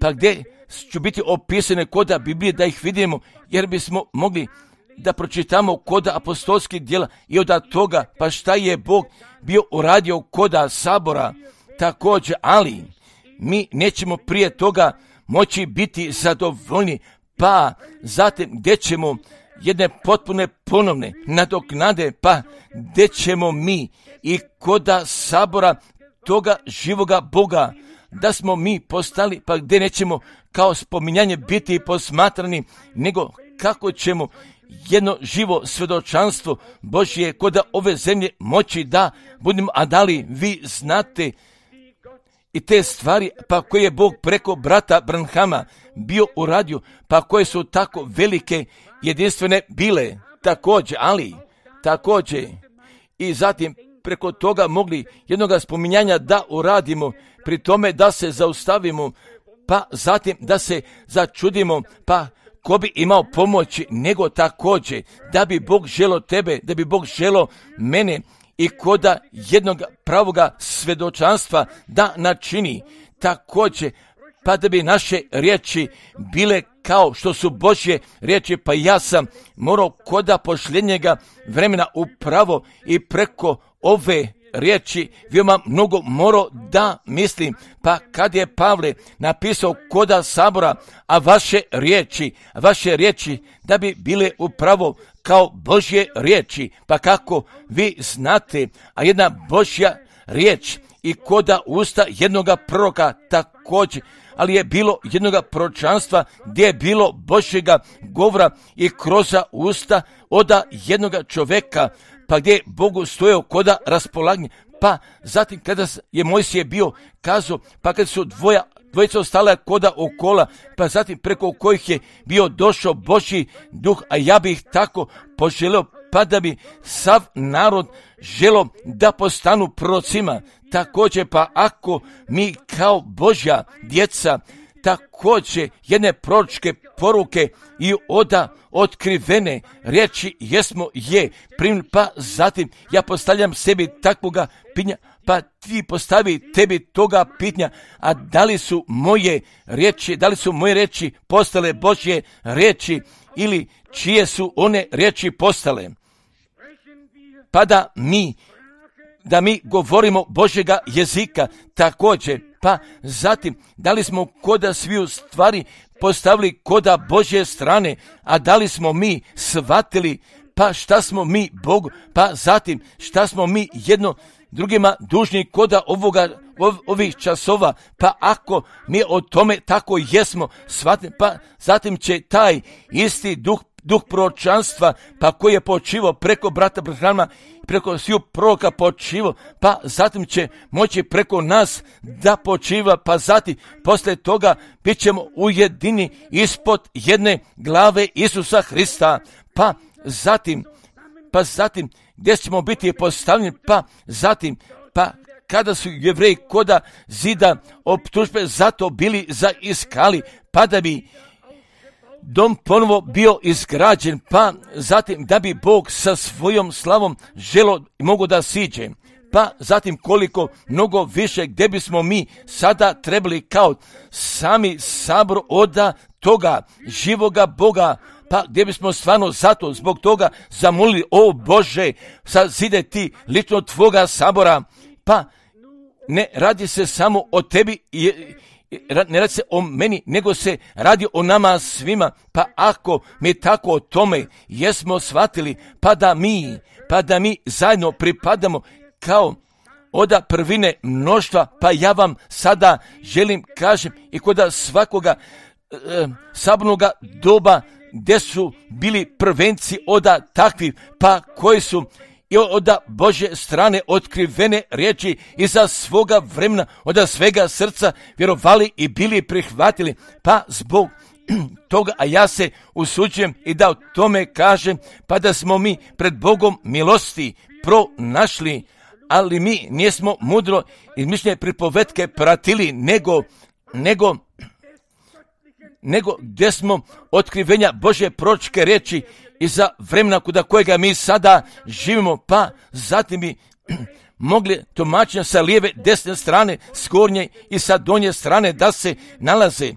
pa gdje ću biti opisane koda Biblije, da ih vidimo, jer bismo mogli da pročitamo koda apostolskih djela i od toga, pa šta je Bog bio uradio koda sabora također, ali mi nećemo prije toga moći biti zadovoljni, pa zatim gdje ćemo jedne potpune ponovne nadoknade, pa gdje ćemo mi i koda sabora toga živoga Boga, da smo mi postali, pa gdje nećemo kao spominjanje biti posmatrani, nego kako ćemo jedno živo svjedočanstvo Božje koda ove zemlje moći da budemo, a da li vi znate i te stvari, pa koje je Bog preko brata Branhama bio uradio, pa koje su tako velike, jedinstvene bile, također, ali također i zatim preko toga mogli jednoga spominjanja da uradimo, pri tome da se zaustavimo, pa zatim da se začudimo, pa ko bi imao pomoći, nego također da bi Bog želo tebe, da bi Bog želo mene i koda jednog pravoga svjedočanstva da načini, također pa da bi naše riječi bile kao što su Božje riječi, pa ja sam morao koda posljednjega vremena upravo i preko ove riječi veoma mnogo morao da mislim, pa kad je Pavle napisao koda sabora, a vaše riječi da bi bile upravo kao Božje riječi, pa kako vi znate, a jedna Božja riječ i koda usta jednoga proroka također, ali je bilo jednoga proročanstva gdje je bilo Božjega govora i kroz usta oda jednoga čovjeka, pa gdje je Bogu stojao koda raspolaganje, pa zatim kada je Mojsije bio kazao, pa kad su dvojica ostala koda okola, pa zatim preko kojih je bio došao Božji duh, a ja bih tako poželio, pa da bi sav narod želo da postanu prorocima. Također, pa ako mi kao Božja djeca također jedne proročke poruke i otkrivene riječi pa zatim ja postavljam sebi takvoga pitanja, pa ti postavi tebi toga pitanja, a da li su moje riječi postale Božje riječi ili čije su one riječi postale, pa da mi govorimo Božjega jezika također, pa zatim da li smo koda sviju stvari postavili koda Božje strane, a da li smo mi shvatili, pa šta smo mi Bogu, pa zatim šta smo mi jedno drugima dužni koda ovih časova, pa ako mi o tome tako jesmo shvatili, pa zatim će taj isti duh proročanstva, pa koji je počivao preko brata Branhama, preko sviju proroka počivao, pa zatim će moći preko nas da počiva, pa zatim poslije toga bit ćemo ujedini ispod jedne glave Isusa Hrista, pa zatim gdje ćemo biti postavljeni, pa zatim, pa kada su Jevreji koda zida optužbe zato bili zaiskali, pa da bi dom ponovo bio izgrađen, pa zatim da bi Bog sa svojom slavom želo i mogo da siđe. Pa zatim koliko mnogo više gdje bismo mi sada trebali kao sami sabor oda toga živoga Boga, pa gdje bismo stvarno zato zbog toga zamolili, o Bože, sazide ti lično tvoga sabora, pa ne radi se samo o tebi, ne radi se o meni, nego se radi o nama svima, pa ako mi tako o tome jesmo shvatili, pa da mi zajedno pripadamo kao oda prvine mnoštva, pa ja vam sada želim kažem i kod svakoga sabornoga doba gdje su bili prvenci oda takvi, pa koji su i od Božje strane otkrivene riječi iza svoga vremena, od svega srca vjerovali i bili prihvatili, pa zbog toga, a ja se usuđujem i da o tome kažem, pa da smo mi pred Bogom milosti pronašli, ali mi nismo mudro izmišljene pripovetke pratili, nego gdje smo otkrivenja Božje proročke riječi iza vremena kod kojega mi sada živimo, pa zatim bi mogli tumačenja sa lijeve, desne strane, s gornje i sa donje strane da se nalaze.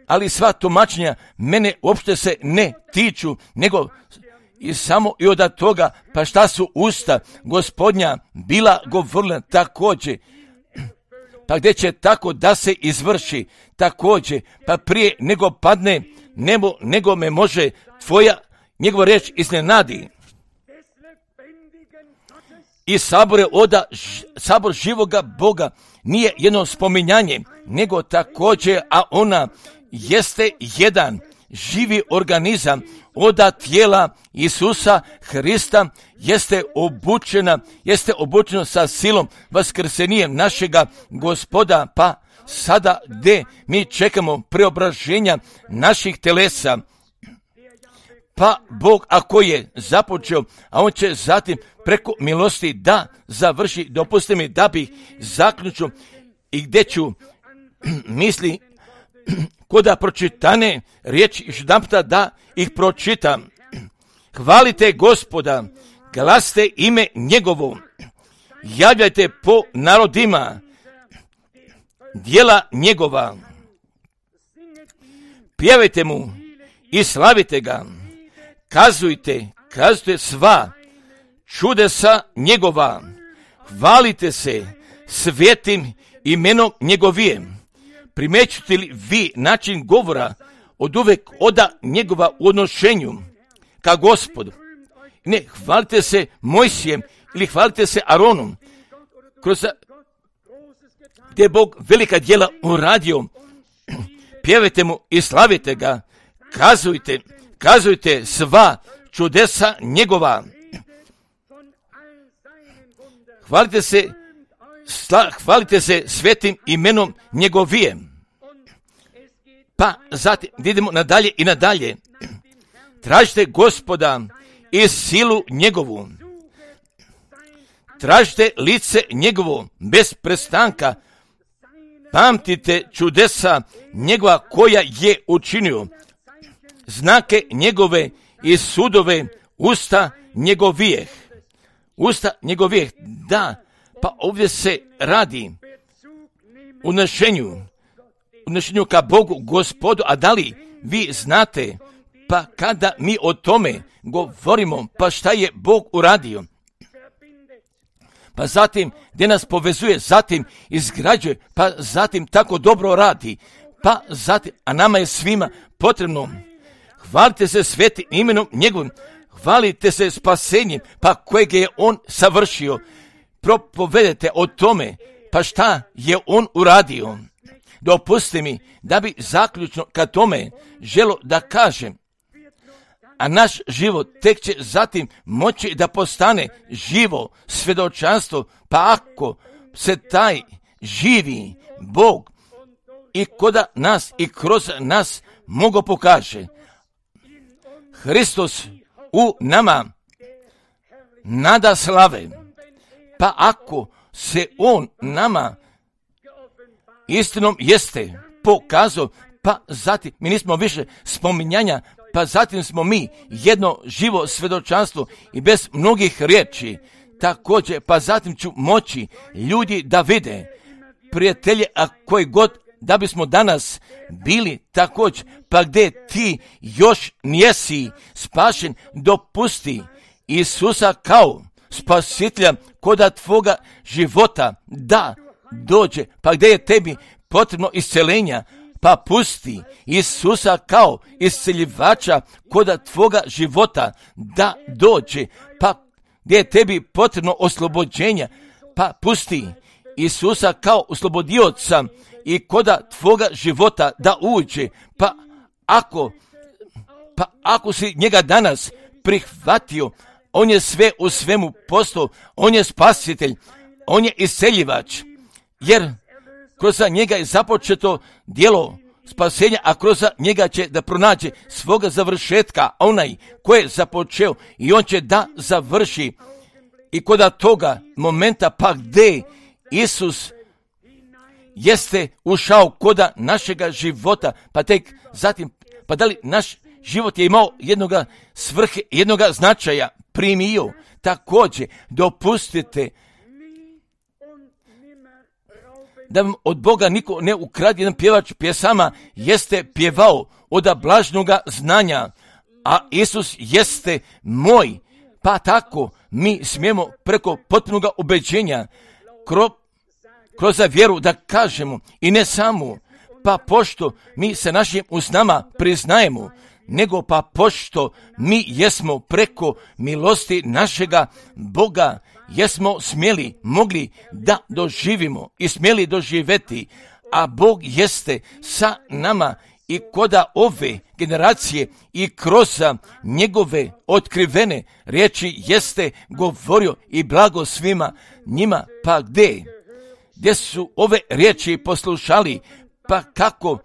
Ali sva tumačenja mene uopšte se ne tiču, nego i samo i od toga, pa šta su usta Gospodnja bila govorila također, pa gdje će tako da se izvrši također, pa prije nego padne nebo, nego me može njegova riječ iznenadi. I sabor živoga Boga nije jedno spominjanje, nego također, a ona jeste jedan živi organizam oda tijela Isusa Hrista, jeste obučeno sa silom vaskrsenjem našega Gospoda, pa sada gdje mi čekamo preobraženja naših telesa, pa Bog ako je započeo, a on će zatim preko milosti da završi, dopusti mi da bih zaključio i gdje ću misli koda pročitane riječi jedanputa da ih pročitam. Hvalite Gospoda, glasite ime njegovo, javljajte po narodima djela njegova, pjevajte mu i slavite ga, kazujte sva čudesa njegova, hvalite se svetim imenom njegovijem. Primećujete li vi način govora od uvek oda njegova u odnošenju ka Gospodu? Ne, hvalite se Mojsijem ili hvalite se Aronom, gdje je Bog velika djela uradio. Pjevajte mu i slavite ga, kazujte sva čudesa njegova. Hvalite se svetim imenom njegovijem. Pa zatim idemo nadalje i nadalje. Tražite Gospoda i silu njegovu. Tražite lice njegovo bez prestanka. Pamtite čudesa njegova koja je učinio. Znake njegove i sudove usta njegovijeh. Da, pa ovdje se radi unošenju ka Bogu Gospodu, a da li vi znate, pa kada mi o tome govorimo, pa šta je Bog uradio? Pa zatim gdje nas povezuje, zatim izgrađuje, pa zatim tako dobro radi, pa zatim, a nama je svima potrebno. Hvalite se svetim imenom njegovim, hvalite se spasenjem, pa kojeg je on savršio. Propovedete o tome, pa šta je on uradio. Dopustite mi da bi zaključno ka tome želo da kažem, a naš život tek će zatim moći da postane živo svjedočanstvo, pa ako se taj živi Bog i kod nas i kroz nas mogo pokaže. Hristos u nama, nada slave. Pa ako se on nama istinom jeste pokazao, pa zatim mi nismo više spominjanja, pa zatim smo mi jedno živo svjedočanstvo i bez mnogih riječi. Također, pa zatim ću moći ljudi da vide, prijatelje, a koji god da bismo danas bili također, pa gdje ti još nijesi spašen, dopusti Isusa kao spasitelja koda tvoga života da dođe, pa gdje je tebi potrebno isceljenja, pa pusti Isusa kao isceljivača koda tvoga života da dođe, pa gdje je tebi potrebno oslobođenja, pa pusti Isusa kao oslobodioca i koda tvoga života da uđe, pa ako si njega danas prihvatio, on je sve u svemu postao, on je spasitelj, on je isceljivač, jer kroz njega je započeto djelo spasenja, a kroz njega će da pronađe svoga završetka, onaj koji je započeo i on će da završi. I koda toga momenta pa gdje Isus jeste ušao koda našega života, pa tek zatim, pa da li naš život je imao jednoga svrhe, jednoga značaja, primio, također dopustite da vam od Boga niko ne ukrade. Jedan pjevač pjesama jeste pjevao od blažnoga znanja, a Isus jeste moj, pa tako mi smijemo preko potpunoga ubeđenja kroz vjeru da kažemo i ne samo, pa pošto mi se našim usnama priznajemo, nego pa pošto mi jesmo preko milosti našega Boga, jesmo smjeli, mogli da doživimo i smjeli doživjeti, a Bog jeste sa nama i koda ove generacije i kroz njegove otkrivene riječi jeste govorio i blago svima njima, pa gdje su ove riječi poslušali, pa kako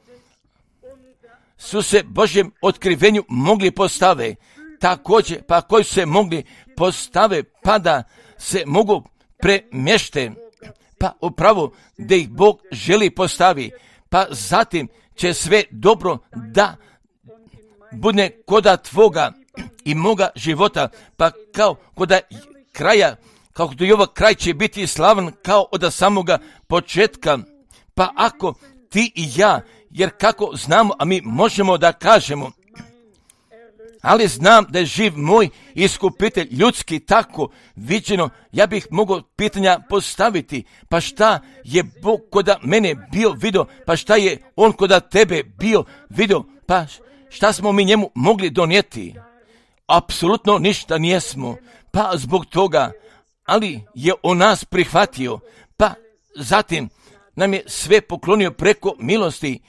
su se Božjem otkrivenju mogli postave, također pa koji su se mogli postave, pa da se mogu premješte, pa upravo da ih Bog želi postavi, pa zatim će sve dobro da bude koda tvoga i moga života, pa kao koda kraja, kako do ovog kraj će biti slavan kao od samoga početka, pa ako ti i ja, jer kako znamo, a mi možemo da kažemo, ali znam da je živ moj iskupitelj ljudski tako viđeno, ja bih mogao pitanja postaviti, pa šta je Bog koda mene bio vidio, pa šta je on koda tebe bio vidio, pa šta smo mi njemu mogli donijeti? Apsolutno ništa nijesmo, pa zbog toga, ali je on nas prihvatio, pa zatim nam je sve poklonio preko milosti,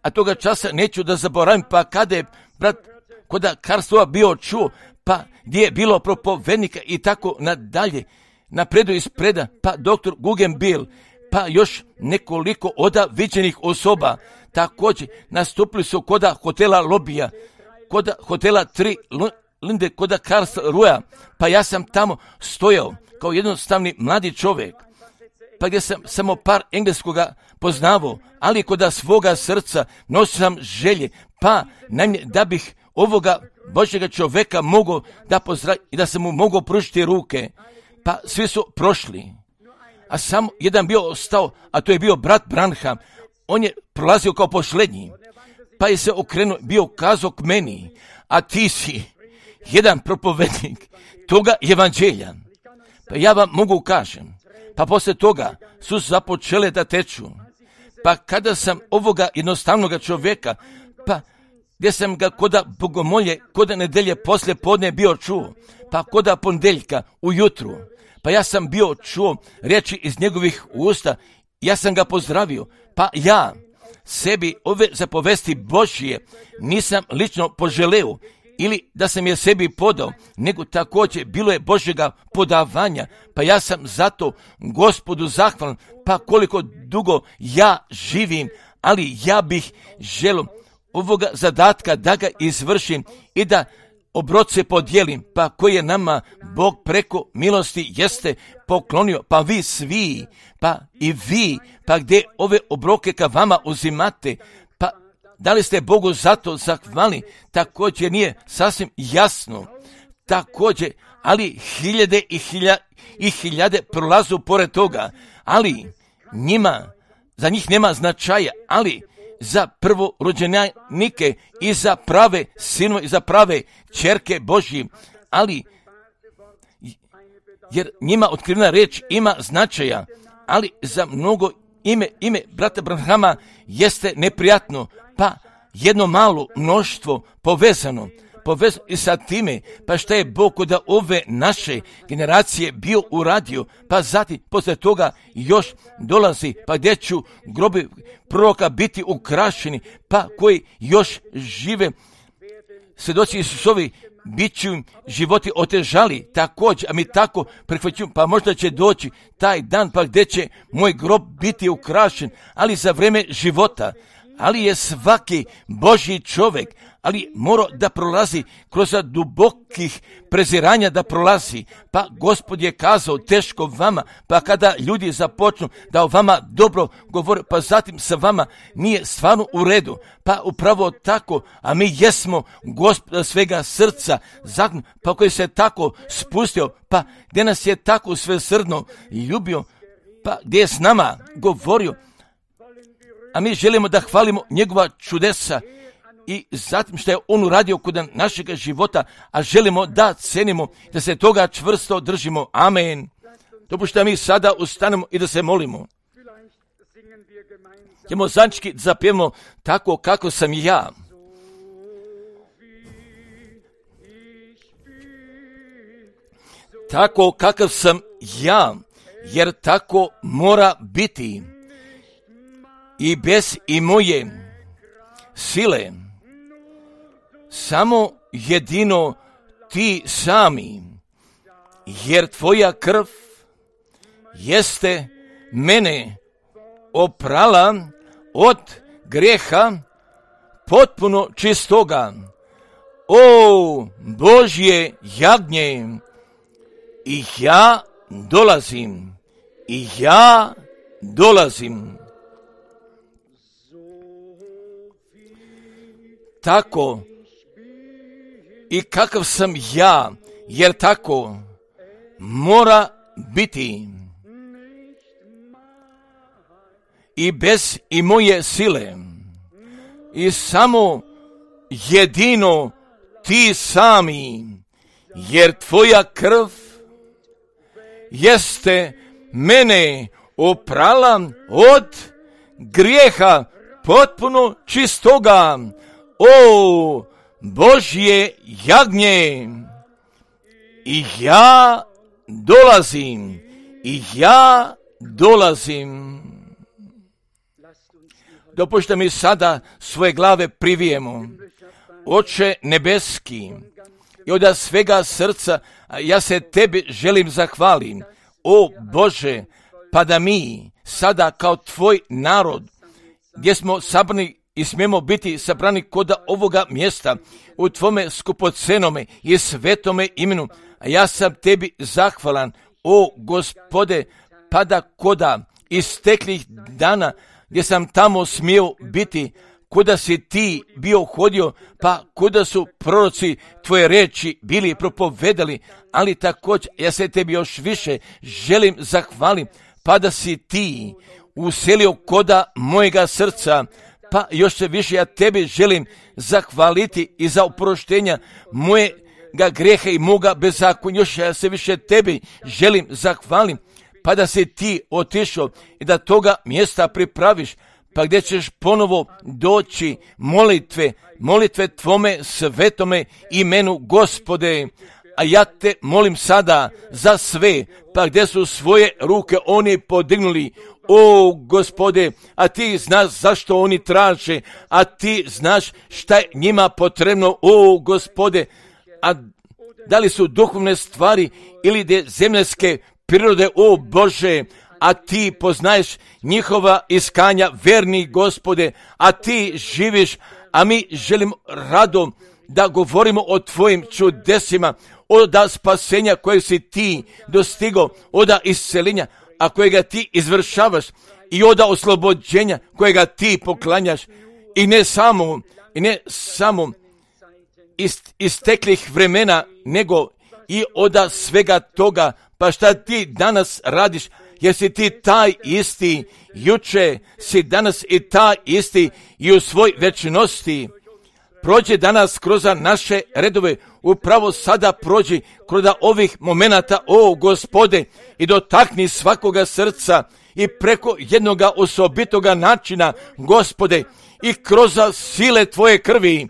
a toga časa neću da zaboravim, pa kada je brat koda Karstova bio čuo, pa gdje je bilo propovednika i tako nadalje, napredu ispreda, pa doktor Guggenbill, pa još nekoliko oda viđenih osoba, također nastupili su koda hotela Lobija, koda hotela 3 Linde, koda Karst Ruja, pa ja sam tamo stojao kao jednostavni mladi čovjek, pa gdje sam samo par engleskoga poznavao, ali koda svoga srca nosio sam želje, pa najmanje da bih ovoga Božjega čovjeka mogao da pozdravim i da sam mu mogao pružiti ruke, pa svi su prošli, a samo jedan bio ostao, a to je bio brat Branham, on je prolazio kao posljednji, pa je se okrenuo, bio kazao k meni, a ti si jedan propovednik toga evanđelja, pa ja vam mogu kažem, pa poslije toga su započele da teču, pa kada sam ovoga jednostavnoga čovjeka, pa gdje sam ga koda bogomolje, koda nedelje poslije podne bio čuo, pa koda ponedjeljka ujutru, pa ja sam bio čuo riječi iz njegovih usta, ja sam ga pozdravio, pa ja sebi ove zapovesti Božje nisam lično poželeo, ili da sam je sebi podao, nego također bilo je Božjega podavanja, pa ja sam zato Gospodu zahvalan, pa koliko dugo ja živim, ali ja bih želio ovoga zadatka da ga izvršim i da obroce podijelim, pa koje je nama Bog preko milosti jeste poklonio, pa vi svi, pa i vi, pa gdje ove obroke ka vama uzimate, pa da li ste Bogu zato zahvalni, također nije sasvim jasno, također, ali hiljade i hiljade prolazu pored toga, ali za njih nema značaja, ali za prvorođenike i za prave sinove i za prave ćerke Božji, ali jer njima otkrivena riječ ima značaja, ali za mnogo ime brata Branhama jeste neprijatno, pa jedno malo mnoštvo povezano i sa time, pa šta je Bog kod ove naše generacije bio uradio, pa zatim poslije toga još dolazi, pa gdje ću grobi proroka biti ukrašeni, pa koji još žive, svjedoci Isusovi, bit ću im životi otežali, također, a mi tako prihvaćujemo, pa možda će doći taj dan, pa gdje će moj grob biti ukrašen, ali za vrijeme života, ali je svaki Božji čovjek, ali mora da prolazi kroz dubokih preziranja da prolazi, pa Gospod je kazao teško vama, pa kada ljudi započnu da o vama dobro govore, pa zatim sa vama nije stvarno u redu, pa upravo tako, a mi jesmo Gospoda svega srca, pa koji se tako spustio, pa gdje nas je tako svesrdno ljubio, pa gdje je s nama govorio, a mi želimo da hvalimo njegova čudesa i zatim što je on uradio kod našeg života, a želimo da cenimo, da se toga čvrsto držimo. Amen. Dopušta mi sada ustanemo i da se molimo. Ćemo zajednički zapjevamo tako kako sam ja. Tako kakav sam ja, jer tako mora biti. I bez i moje sile, samo jedino ti sami, jer tvoja krv jeste mene oprala od grijeha potpuno čistoga. O Božje jagnje, i ja dolazim. Tako i kakav sam ja, jer tako mora biti. I bez i moje sile, i samo jedino ti sami, jer tvoja krv jeste mene oprala od grijeha potpuno čistoga. O Božje jagnje, i ja dolazim. Dopušta mi sada svoje glave privijemo. Oče nebeski, i od svega srca ja se tebi želim zahvalim. O Bože, pa da mi sada kao tvoj narod, gdje smo sabrani i smijemo biti sabrani kod ovoga mjesta u tvome skupocenome i svetome imenu, a ja sam tebi zahvalan, o Gospode, pa da koda isteklih dana gdje sam tamo smio biti, kuda si ti bio hodio, pa kuda su proroci tvoje reči bili propovedali, ali također ja se tebi još više želim zahvalim, pa da si ti uselio koda mojega srca, pa još se više ja tebi želim zahvaliti i za oproštenja mojega grijeha i moga bezakonja. Još ja se više tebi želim zahvalim, pa da si ti otišao i da toga mjesta pripraviš, pa gdje ćeš ponovo doći molitve tvome svetome imenu Gospode. A ja te molim sada za sve, pa gdje su svoje ruke oni podignuli, o Gospode, a ti znaš zašto oni traže, a ti znaš šta je njima potrebno, o Gospode, a da li su duhovne stvari ili zemljske prirode, o Bože, a ti poznaješ njihova iskanja, verni Gospode, a ti živiš, a mi želimo rado da govorimo o tvojim čudesima, oda spasenja kojeg si ti dostigo, oda iscelenja, a kojega ti izvršavaš, i oda oslobođenja kojega ti poklanjaš, i ne samo isteklih vremena, nego i oda svega toga. Pa šta ti danas radiš? Jesi ti taj isti, juče si danas i taj isti i u svoj večnosti. Prođe danas kroz naše redove, upravo sada prođi kroz ovih momenata, o Gospode, i dotakni svakoga srca i preko jednoga osobitoga načina, Gospode, i kroz sile tvoje krvi,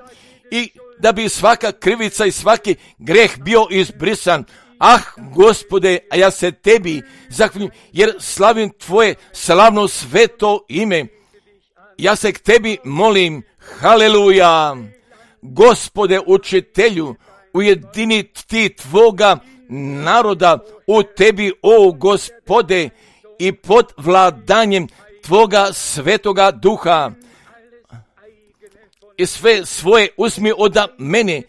i da bi svaka krivica i svaki greh bio izbrisan. Ah, Gospode, a ja se tebi zahvaljujem, jer slavim tvoje slavno sveto ime. Ja se k tebi molim, haleluja. Gospode, učitelju, ujedini ti tvoga naroda u tebi, o Gospode, i pod vladanjem tvoga svetoga duha. I sve svoje uzmi od mene,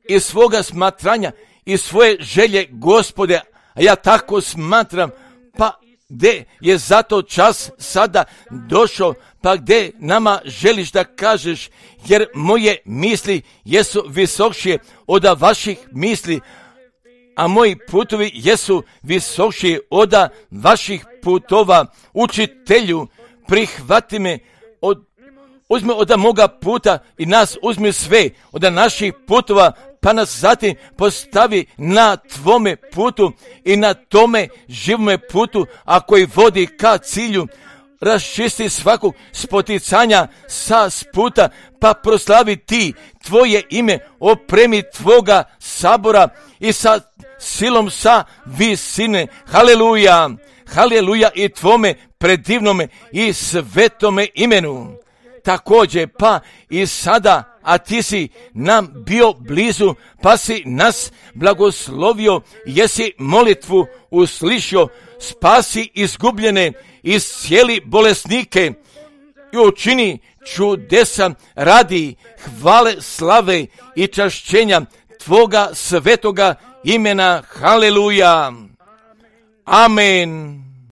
i svoga smatranja, i svoje želje, Gospode, a ja tako smatram. Pa gdje je zato čas sada došao, pa gdje nama želiš da kažeš, jer moje misli jesu visokšije od vaših misli, a moji putovi jesu visokšije od vaših putova. Učitelju, prihvati me, uzmi od moga puta i nas uzmi sve od naših putova, pa nas zatim postavi na tvome putu i na tome živome putu, a koji vodi ka cilju. Raščisti svakog spoticanja sa puta, pa proslavi ti tvoje ime, opremi tvoga sabora i sa silom sa visine. Haleluja, haleluja i tvome predivnome i svetome imenu. Također, pa i sada, a ti si nam bio blizu, pa si nas blagoslovio, jesi molitvu uslišio, spasi izgubljene, iscijeli bolesnike i učini čudesa radi hvale, slave i čašćenja tvoga svetoga imena. Haleluja. Amen.